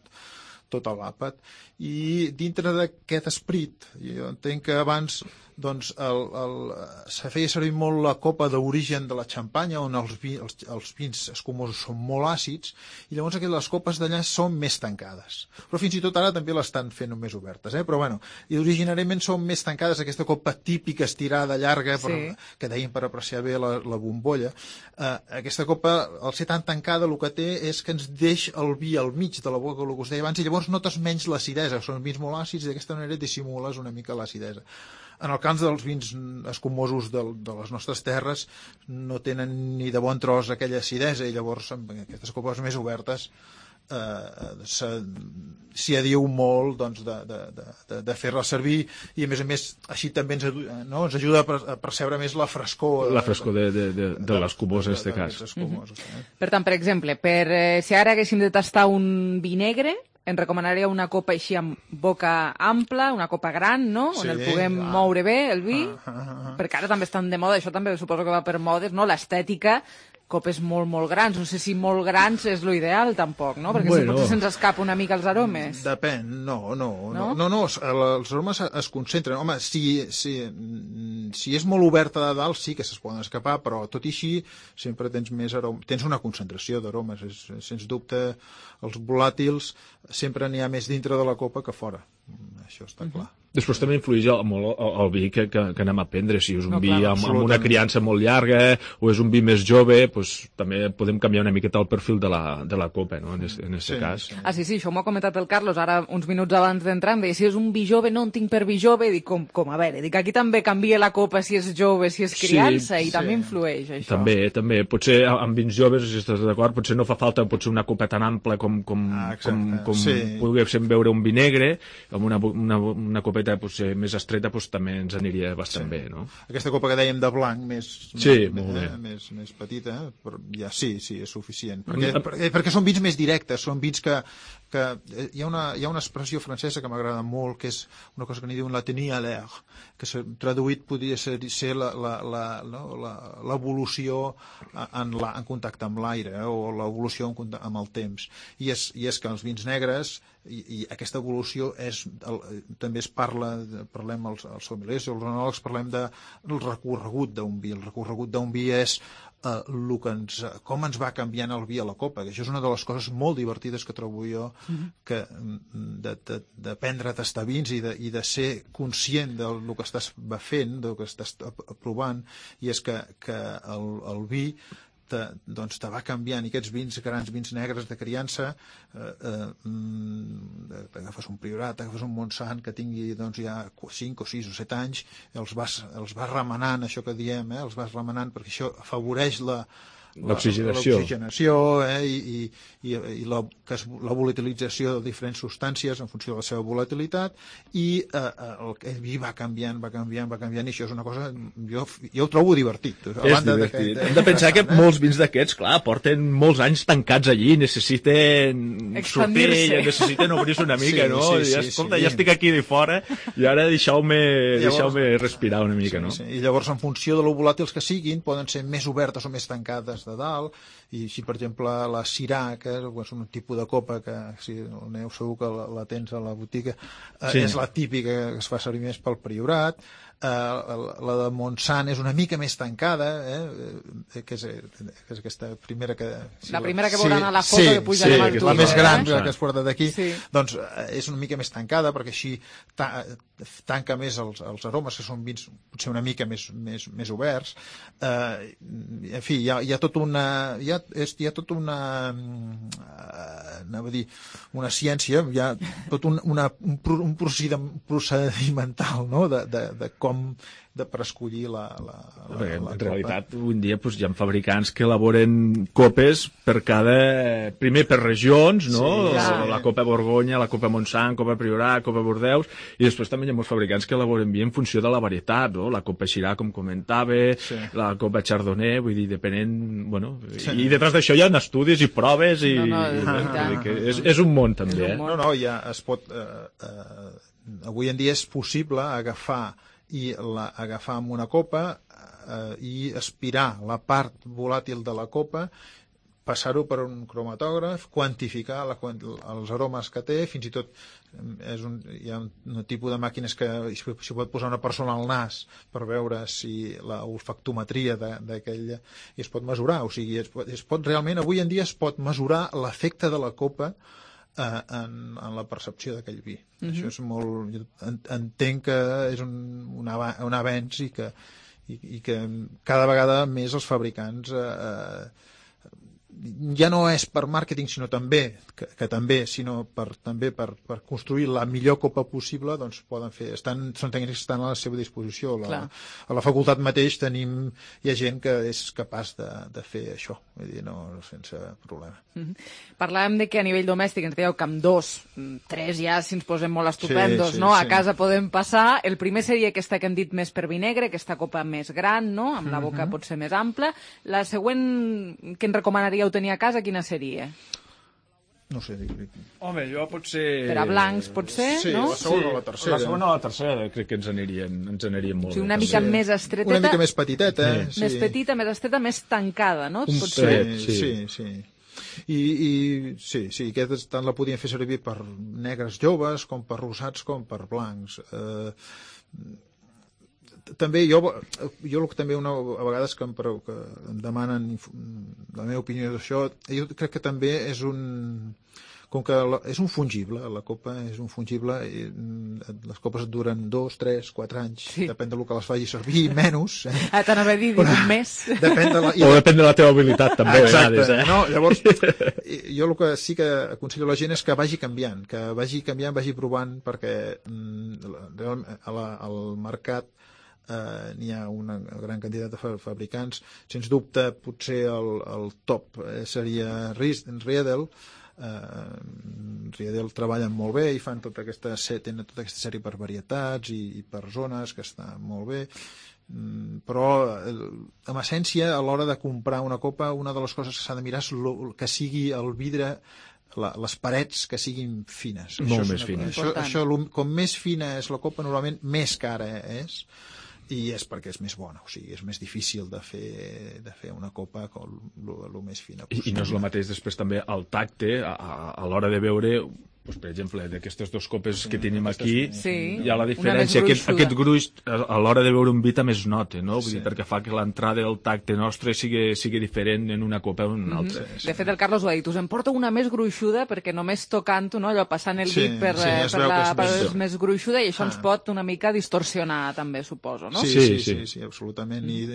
l'àpat. I dintre d'aquest esperit, jo entenc que abans se feia servir molt la copa d'origen de la xampanya, on els vins escumosos són molt àcids, i llavors les copes d'allà són més tancades. Però fins i tot ara també l'estan fent més obertes, però bueno, i originàriament són més tancades, aquesta copa típica estirada, llarga, que dèiem per apreciar bé la bombolla. Aquesta copa, al ser tan tancada, el que té és que ens deix el vi al mig de la boca, el que us deia abans, i llavors notes menys l'acidesa, són vins molt àcids, i d'aquesta manera dissimules una mica l'acidesa. En el cas dels vins escumosos de les nostres terres no tenen ni de bon tros aquella acidesa, i llavors amb aquestes copes més obertes s'hi adiu molt de fer-la servir, i a més així també ens ajuda a percebre més la frescor de l'escumós en aquest cas. Per tant, per exemple, si ara haguéssim de tastar un vi negre, em recomanaria una copa així amb boca ampla, una copa gran, no? On el puguem moure bé, el vi, perquè ara també estan de moda, això també suposo que va per modes, no? L'estètica, copes molt, molt grans. No sé si molt grans és l'ideal, tampoc, no? Perquè potser se'ns escapa una mica els aromes. Depèn, no, els aromes es concentren. Home, si és molt oberta de dalt, sí que se'ls poden escapar, però tot i així sempre tens una concentració d'aromes. Sens dubte, els volàtils sempre n'hi ha més dintre de la copa que fora. Això està clar. Després també influeix molt el vi que anem a prendre. Si és un vi amb una criança molt llarga o és un vi més jove, també podem canviar una miqueta el perfil de la copa, no? En aquest cas. Sí, això m'ho ha comentat el Carlos ara uns minuts abans d'entrar. Em deia, si és un vi jove, no en tinc per vi jove. Dic, com a veure, aquí també canvia la copa si és jove, si és criança, i també influeix això. També. Potser amb vins joves, si estàs d'acord, potser no fa falta una copa tan ampla com poguéssim veure un vi negre, amb una copeta potser més estreta també ens aniria bastant bé, no? Aquesta copa que dèiem de blanc més petita, ja sí, és suficient, perquè són vins més directes, són vins que hi ha una expressió francesa que m'agrada molt, que és una cosa que n'hi diuen la tenir à l'air, que traduït podria ser l'evolució en contacte amb l'aire, o l'evolució amb el temps, i és que els vins negres i aquesta evolució també es parlem els sommeliers o els enòlegs, parlem del recorregut d'un vi. El recorregut d'un vi és com ens va canviant el vi a la copa, que això és una de les coses molt divertides que trobo jo, d'aprendre a tastar vins i de ser conscient del que estàs fent, del que estàs provant, i és que el vi doncs te va canviant, i aquests vins, grans vins negres de criança, agafes un Priorat, agafes un Montsant que tingui doncs, ja 5 o 6 o 7 anys, els vas remenant, això que diem, els vas remenant perquè això afavoreix l'oxigenació i la volatilització de diferents substàncies en funció de la seva volatilitat, i el vi va canviant, i això és una cosa, jo ho trobo divertit. És divertit. Hem de pensar que molts vins d'aquests, clar, porten molts anys tancats allí, necessiten sortir, necessiten obrir-se una mica, no? Escolta, ja estic aquí de fora i ara deixeu-me respirar una mica, no? I llavors, en funció de lo volàtils que siguin, poden ser més obertes o més tancades de dalt, i si per exemple la Syrah, que és un tipus de copa que si aneu segur que la tens a la botiga, és la típica que es fa servir més pel Priorat. La de Montsant és una mica més tancada, que és aquesta primera que... La primera que veuran a la foto que pujarem al Twitter. La més gran que es porta d'aquí, doncs és una mica més tancada perquè així tanca més els aromes, que són vins potser una mica més oberts. En fi, hi ha tota una ciència, hi ha tot un procedimental, no?, de com per escollir la en realitat, avui en dia hi ha fabricants que elaboren copes primer per regions, no? La copa Borgonya, la copa Montsant, copa Priorat, copa Bordeus, i després també hi ha molts fabricants que elaboren vi en funció de la varietat, no? La copa Syrah, com comentava, la copa Chardonnay, vull dir, depenent... I detrás d'això hi ha estudis i proves, i és un món, també. Ja es pot... Avui en dia és possible agafar amb una copa i aspirar la part volàtil de la copa, passar-ho per un cromatògraf, quantificar els aromes que té, fins i tot hi ha un tipus de màquines que s'hi pot posar una persona al nas per veure si la olfactometria d'aquella, i es pot mesurar, o sigui, realment avui en dia es pot mesurar l'efecte de la copa en la percepció d'aquell vi. Això és molt... Entenc que és un avenç i que cada vegada més els fabricants ja no és per màrqueting, sinó també per construir la millor copa possible, doncs poden fer, són tècnics que estan a la seva disposició. A la facultat mateix hi ha gent que és capaç de fer això, vull dir, sense problema. Parlàvem de que a nivell domèstic ens dèieu que amb 2, 3 ja, si ens posem molt estupendos, a casa podem passar. El primer seria aquesta que hem dit més per vi negre, aquesta copa més gran, amb la boca potser més ampla. La següent que ens recomanaríeu tenir a casa, quina seria? No sé. Home, jo potser... Per a blancs, potser, no? La segona o la tercera. La segona o la tercera crec que ens anirien molt bé. Una mica més estreteta. Una mica més petiteta. Més petita, més estreta, més tancada, no? Sí. I aquest tant la podien fer servir per negres joves, com per rosats, com per blancs. També jo també a vegades que em demanen la meva opinió d'això, jo crec que també és com que és un fungible, la copa és un fungible, i les copes duren 2, 3, 4 anys, depèn del que les faci servir, menys. T'anava a dir un mes. O depèn de la teva habilitat, també. Exacte. Llavors, jo el que sí que aconsello a la gent és que vagi canviant, vagi provant, perquè al mercat n'hi ha una gran quantitat de fabricants. Sens dubte, potser el top seria Riedel. Riedel treballen molt bé i fan tenen tota aquesta sèrie per varietats i per zones, que està molt bé. Però en essència, a l'hora de comprar una copa, una de les coses que s'ha de mirar és que sigui el vidre, les parets que siguin fines. Molt més fines. Com més fina és la copa, normalment més cara és, i és perquè és més bona, o sigui, és més difícil de fer una copa el més fina possible. I no és el mateix després també el tacte a l'hora de veure, per exemple, d'aquestes dues copes que tenim aquí, hi ha la diferència, aquest gruix a l'hora de veure un vi també es nota, no? Vull dir, perquè fa que l'entrada del tacte nostre sigui diferent en una copa o en una altra. De fet, el Carlos ho ha dit, us en porto una més gruixuda perquè només tocant-ho, allò passant el dit per la part més gruixuda, i això ens pot una mica distorsionar també, suposo, no? Sí, absolutament. I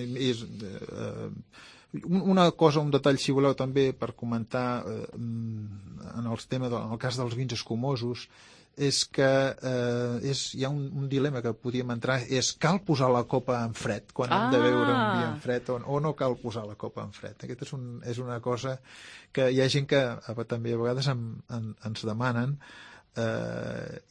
Una cosa, un detall, si voleu, també per comentar en el cas dels vins escumosos, és que hi ha un dilema que podíem entrar, és cal posar la copa en fred quan hem de beure un vi en fred o no cal posar la copa en fred. Aquesta és una cosa que hi ha gent que també a vegades ens demanen,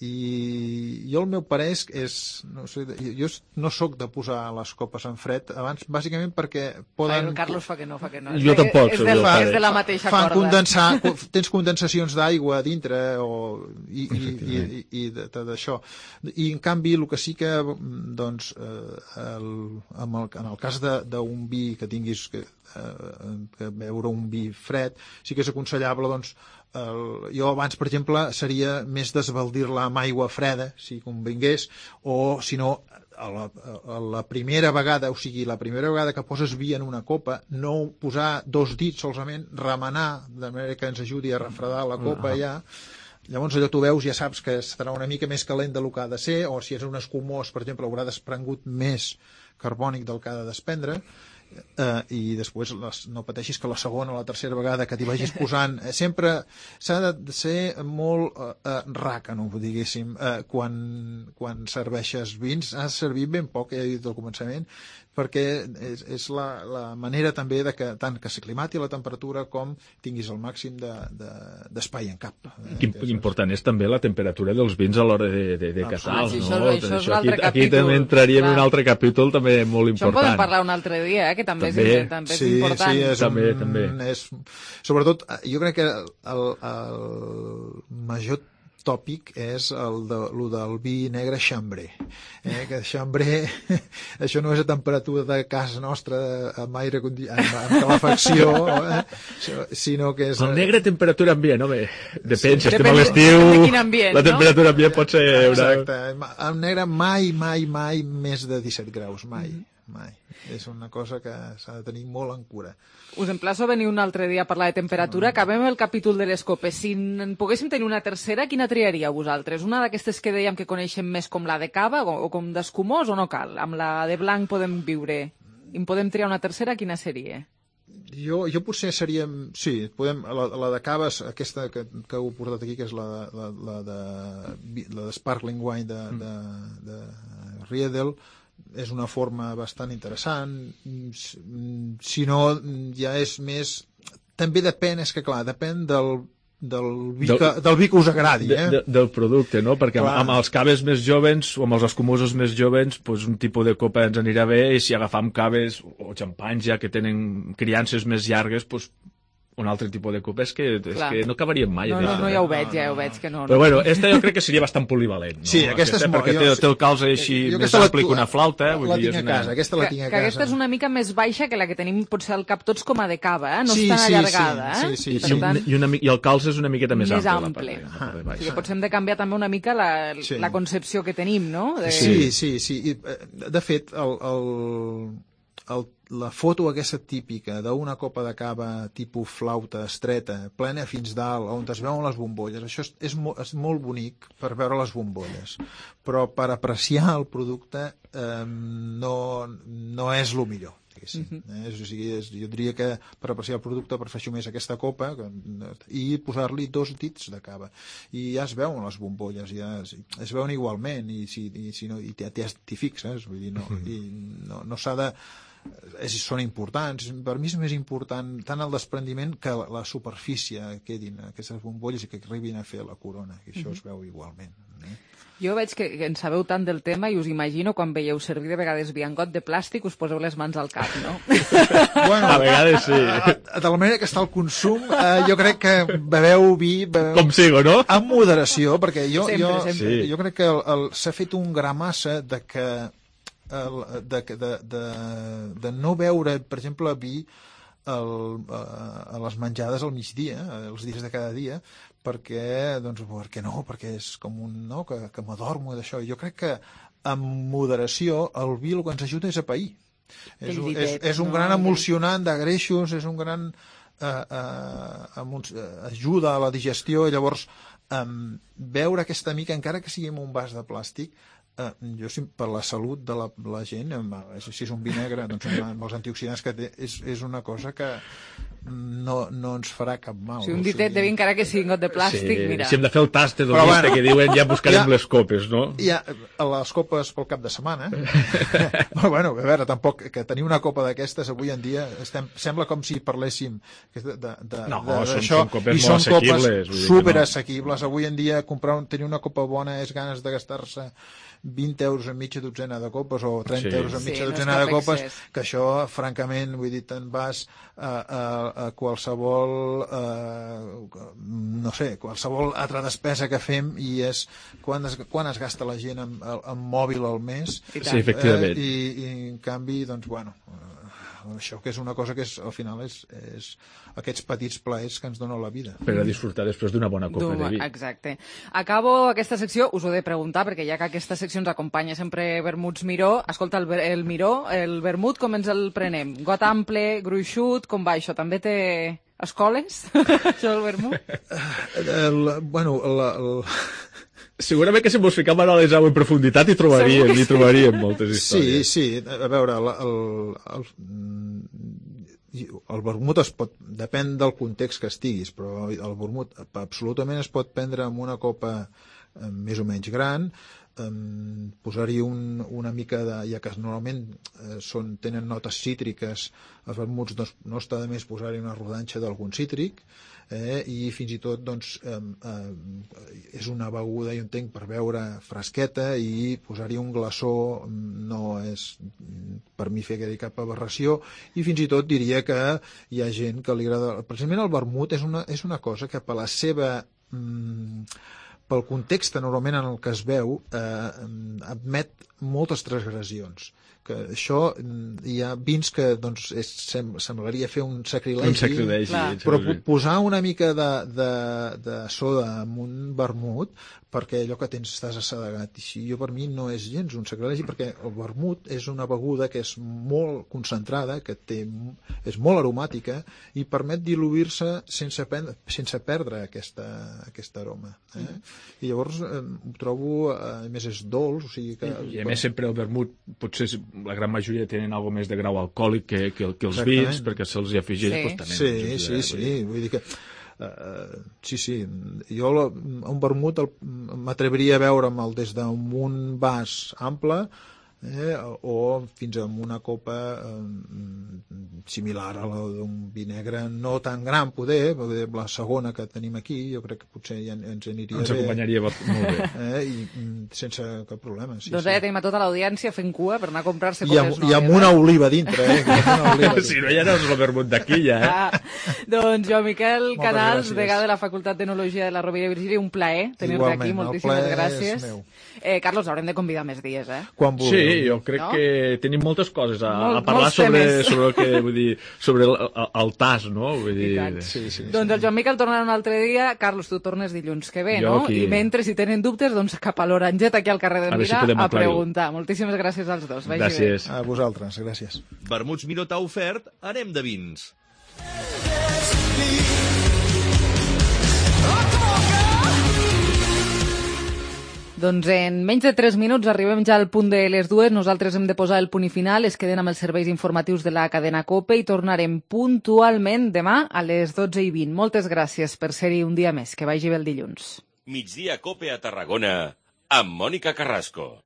i jo el meu parer és no sé, jo no soc de posar les copes en fred abans, bàsicament perquè poden... El Carlos fa que no. Jo tampoc. És de la mateixa corda. Tens condensacions d'aigua a dintre i d'això. I en canvi el que sí que doncs en el cas d'un vi que tinguis que beure un vi fred, sí que és aconsellable doncs jo abans, per exemple, seria més desbaldir-la amb aigua freda, si convingués, o si no, la primera vegada, o sigui, la primera vegada que poses vi en una copa, no posar 2 dits solament, remenar, de manera que ens ajudi a refredar la copa ja. Llavors allò tu veus, ja saps que estarà una mica més calent del que ha de ser, o si és un escumós, per exemple, haurà desprengut més carbònic del que ha de desprendre, i després no pateixis que la segona o la tercera vegada que t'hi vagis posant sempre s'ha de ser molt ràcano, diguéssim, quan serveixes vins has de servir ben poc, ja he dit al començament, perquè és la manera també de que tant que s'aclimati la temperatura com tinguis el màxim d'espai en cap. Important és també la temperatura dels vins a l'hora de catar-los, no? Això és un altre aquí també entraríem en un altre capítol també molt important. Això en podem parlar un altre dia, que també és important. Sí, també. Sobretot, jo crec que el major tòpic és el del vi negre xambré, que xambré això no és a temperatura de casa nostra amb aire amb calefacció, sinó que és... El negre temperatura ambient, home, depèn, si estem a l'estiu la temperatura ambient pot ser exacte, el negre mai més de 17 graus, mai. És una cosa que s'ha de tenir molt en cura. Us emplaço a venir un altre dia a parlar de temperatura. Acabem el capítol de les copes. Si en poguéssim tenir una tercera, quina triaríeu vosaltres? Una d'aquestes que dèiem que coneixem més com la de cava o com d'escumós o no cal? Amb la de blanc podem viure. I en podem triar una tercera, quina seria? Jo potser seria... Sí, podem, la de cava, aquesta que heu portat aquí, que és la de Sparkling Wine de Riedel, és una forma bastant interessant. Si no, ja és més... També depèn, és que clar, depèn del vi que us agradi. Del producte, no? Perquè amb els caves més jovens o amb els escumosos més jovens un tipus de copa ens anirà bé, i si agafam caves o xampanys ja que tenen criances més llargues, un altre tipus de copa és que no acabaríem mai. No, ja ho veig que no. Però bueno, aquesta jo crec que seria bastant polivalent. Sí, aquesta és molt... Perquè té el calze així més ampli que una flauta. La tinc a casa, aquesta la tinc a casa. Aquesta és una mica més baixa que la que tenim potser al cap tots com a de cava, no és tan allargada. I el calze és una miqueta més ample. Potser hem de canviar també una mica la concepció que tenim, no? Sí. De fet, la foto aquesta típica d'una copa de cava tipus flauta estreta, plena fins dalt, on es veuen les bombolles, això és molt bonic per veure les bombolles, però per apreciar el producte no és el millor. Jo diria que per apreciar el producte prefereixo més aquesta copa i posar-li 2 dits de cava i ja es veuen les bombolles, ja es veuen igualment i t'hi fixes, vull dir, no s'ha de... són importants, per mi és més important tant el desprendiment que la superfície quedin aquestes bombolles i que arribin a fer la corona, que això es veu igualment. Jo veig que en sabeu tant del tema i us imagino quan veieu servir de vegades vi en got de plàstic us poseu les mans al cap, no? Bueno, a vegades sí. De la manera que està el consum, jo crec que beveu vi... Com sigo, no? Amb moderació, perquè jo crec que s'ha fet un gramassa de que de no beure, per exemple, vi a les menjades al migdia, els dies de cada dia, perquè és com un... que m'adormo d'això. Jo crec que amb moderació el vi el que ens ajuda és a pair. És un gran emulsionant de greixos, és un gran ajuda a la digestió, i llavors beure aquesta mica, encara que sigui en un vas de plàstic, jo per la salut de la gent, si és un vi negre, doncs amb els antioxidants que té, és una cosa que no ens farà cap mal. Si un ditet de vi encara que sigui got de plàstic, mira. Si hem de fer el tast hedonista que diuen ja buscarem les copes, no? Ja, les copes pel cap de setmana. Però bueno, a veure, tampoc que tenir una copa d'aquestes avui en dia sembla com si parléssim són copes molt assequibles. Copes superassequibles. Avui en dia tenir una copa bona és ganes de gastar-se 20 euros en mitja dotzena de copes o 30 euros en mitja dotzena de copes, que això, francament, vull dir, te'n vas a qualsevol no sé, qualsevol altra despesa que fem i és quan es gasta la gent en mòbil al mes. Sí, efectivament. I en canvi, doncs, bueno, això que és una cosa que al final és aquests petits plaers que ens dona la vida. Per a disfrutar després d'una bona copa de vi. Exacte. Acabo aquesta secció, us ho he de preguntar, perquè ja que aquesta secció ens acompanya sempre Vermuts Miró, escolta, el Miró, el vermut com ens el prenem? Got ample, gruixut, com va això? També té escoles, això del vermut? Segurament que si mos ficam ara a les en profunditat hi trobaríem moltes històries. Sí, a veure, el vermut depèn del context que estiguis, però el vermut absolutament es pot prendre amb una copa més o menys gran, posar-hi una mica de... ja que normalment tenen notes cítriques, els vermuts no està de més posar-hi una rodanxa d'algun cítric, i fins i tot doncs, és una beguda, jo entenc, per beure fresqueta, i posar-hi un glaçó no és per mi fer cap aberració, i fins i tot diria que hi ha gent que li agrada... Precisament el vermut és una cosa que per la seva... pel context normalment en el que es veu, admet moltes transgressions. Que això, hi ha vins que doncs, semblaria fer un sacrilegi, però posar una mica de soda en un vermut, perquè allò que estàs assedegat, i per mi no és gens un sacrilegi, perquè el vermut és una beguda que és molt concentrada, que és molt aromàtica, i permet diluir-se sense perdre aquesta aroma. I llavors ho trobo, a més és dolç, o sigui que... I a més sempre el vermut, potser la gran majoria tenen algo més de grau alcohòlic que els vins, perquè se'ls hi afegeix també. Sí, vull dir que sí, jo un vermut m'atreviria a veure'l des d'un vas ample o fins a una copa similar a la d'un vi negre, no tan gran poder, la segona que tenim aquí jo crec que potser ja ens aniria bé, ens acompanyaria molt bé, i sense cap problema. Doncs tenim a tota l'audiència fent cua per anar a comprar-se coses noves. I amb una oliva dintre, si no ja no és el vermut d'aquí ja, Doncs jo, Miquel Canals, degà de la Facultat d'Enologia de la Rovira i Virgili, un plaer tenir-te aquí, moltíssimes gràcies. Carlos, haurem de convidar més dies, quan vulgueu. Sí, jo crec que tenim moltes coses a parlar sobre el que, vull dir, sobre el tas, no? Vull dir... Doncs el Joan Miquel tornarà un altre dia. Carlos, tu tornes dilluns que ve, no? I mentre, si tenen dubtes, doncs cap a l'Oranget, aquí al carrer de Mira, a preguntar. Moltíssimes gràcies als dos. Gràcies. A vosaltres, gràcies. Vermuts Miró t'ha ofert, anem de vins. Doncs en menys de 3 minuts arribem ja al punt de les 2. Nosaltres hem de posar el punt i final. Es queden amb els serveis informatius de la cadena COPE i tornarem puntualment demà a les 12:20. Moltes gràcies per ser-hi un dia més. Que vagi bé el dilluns. Migdia COPE a Tarragona amb Mònica Carrasco.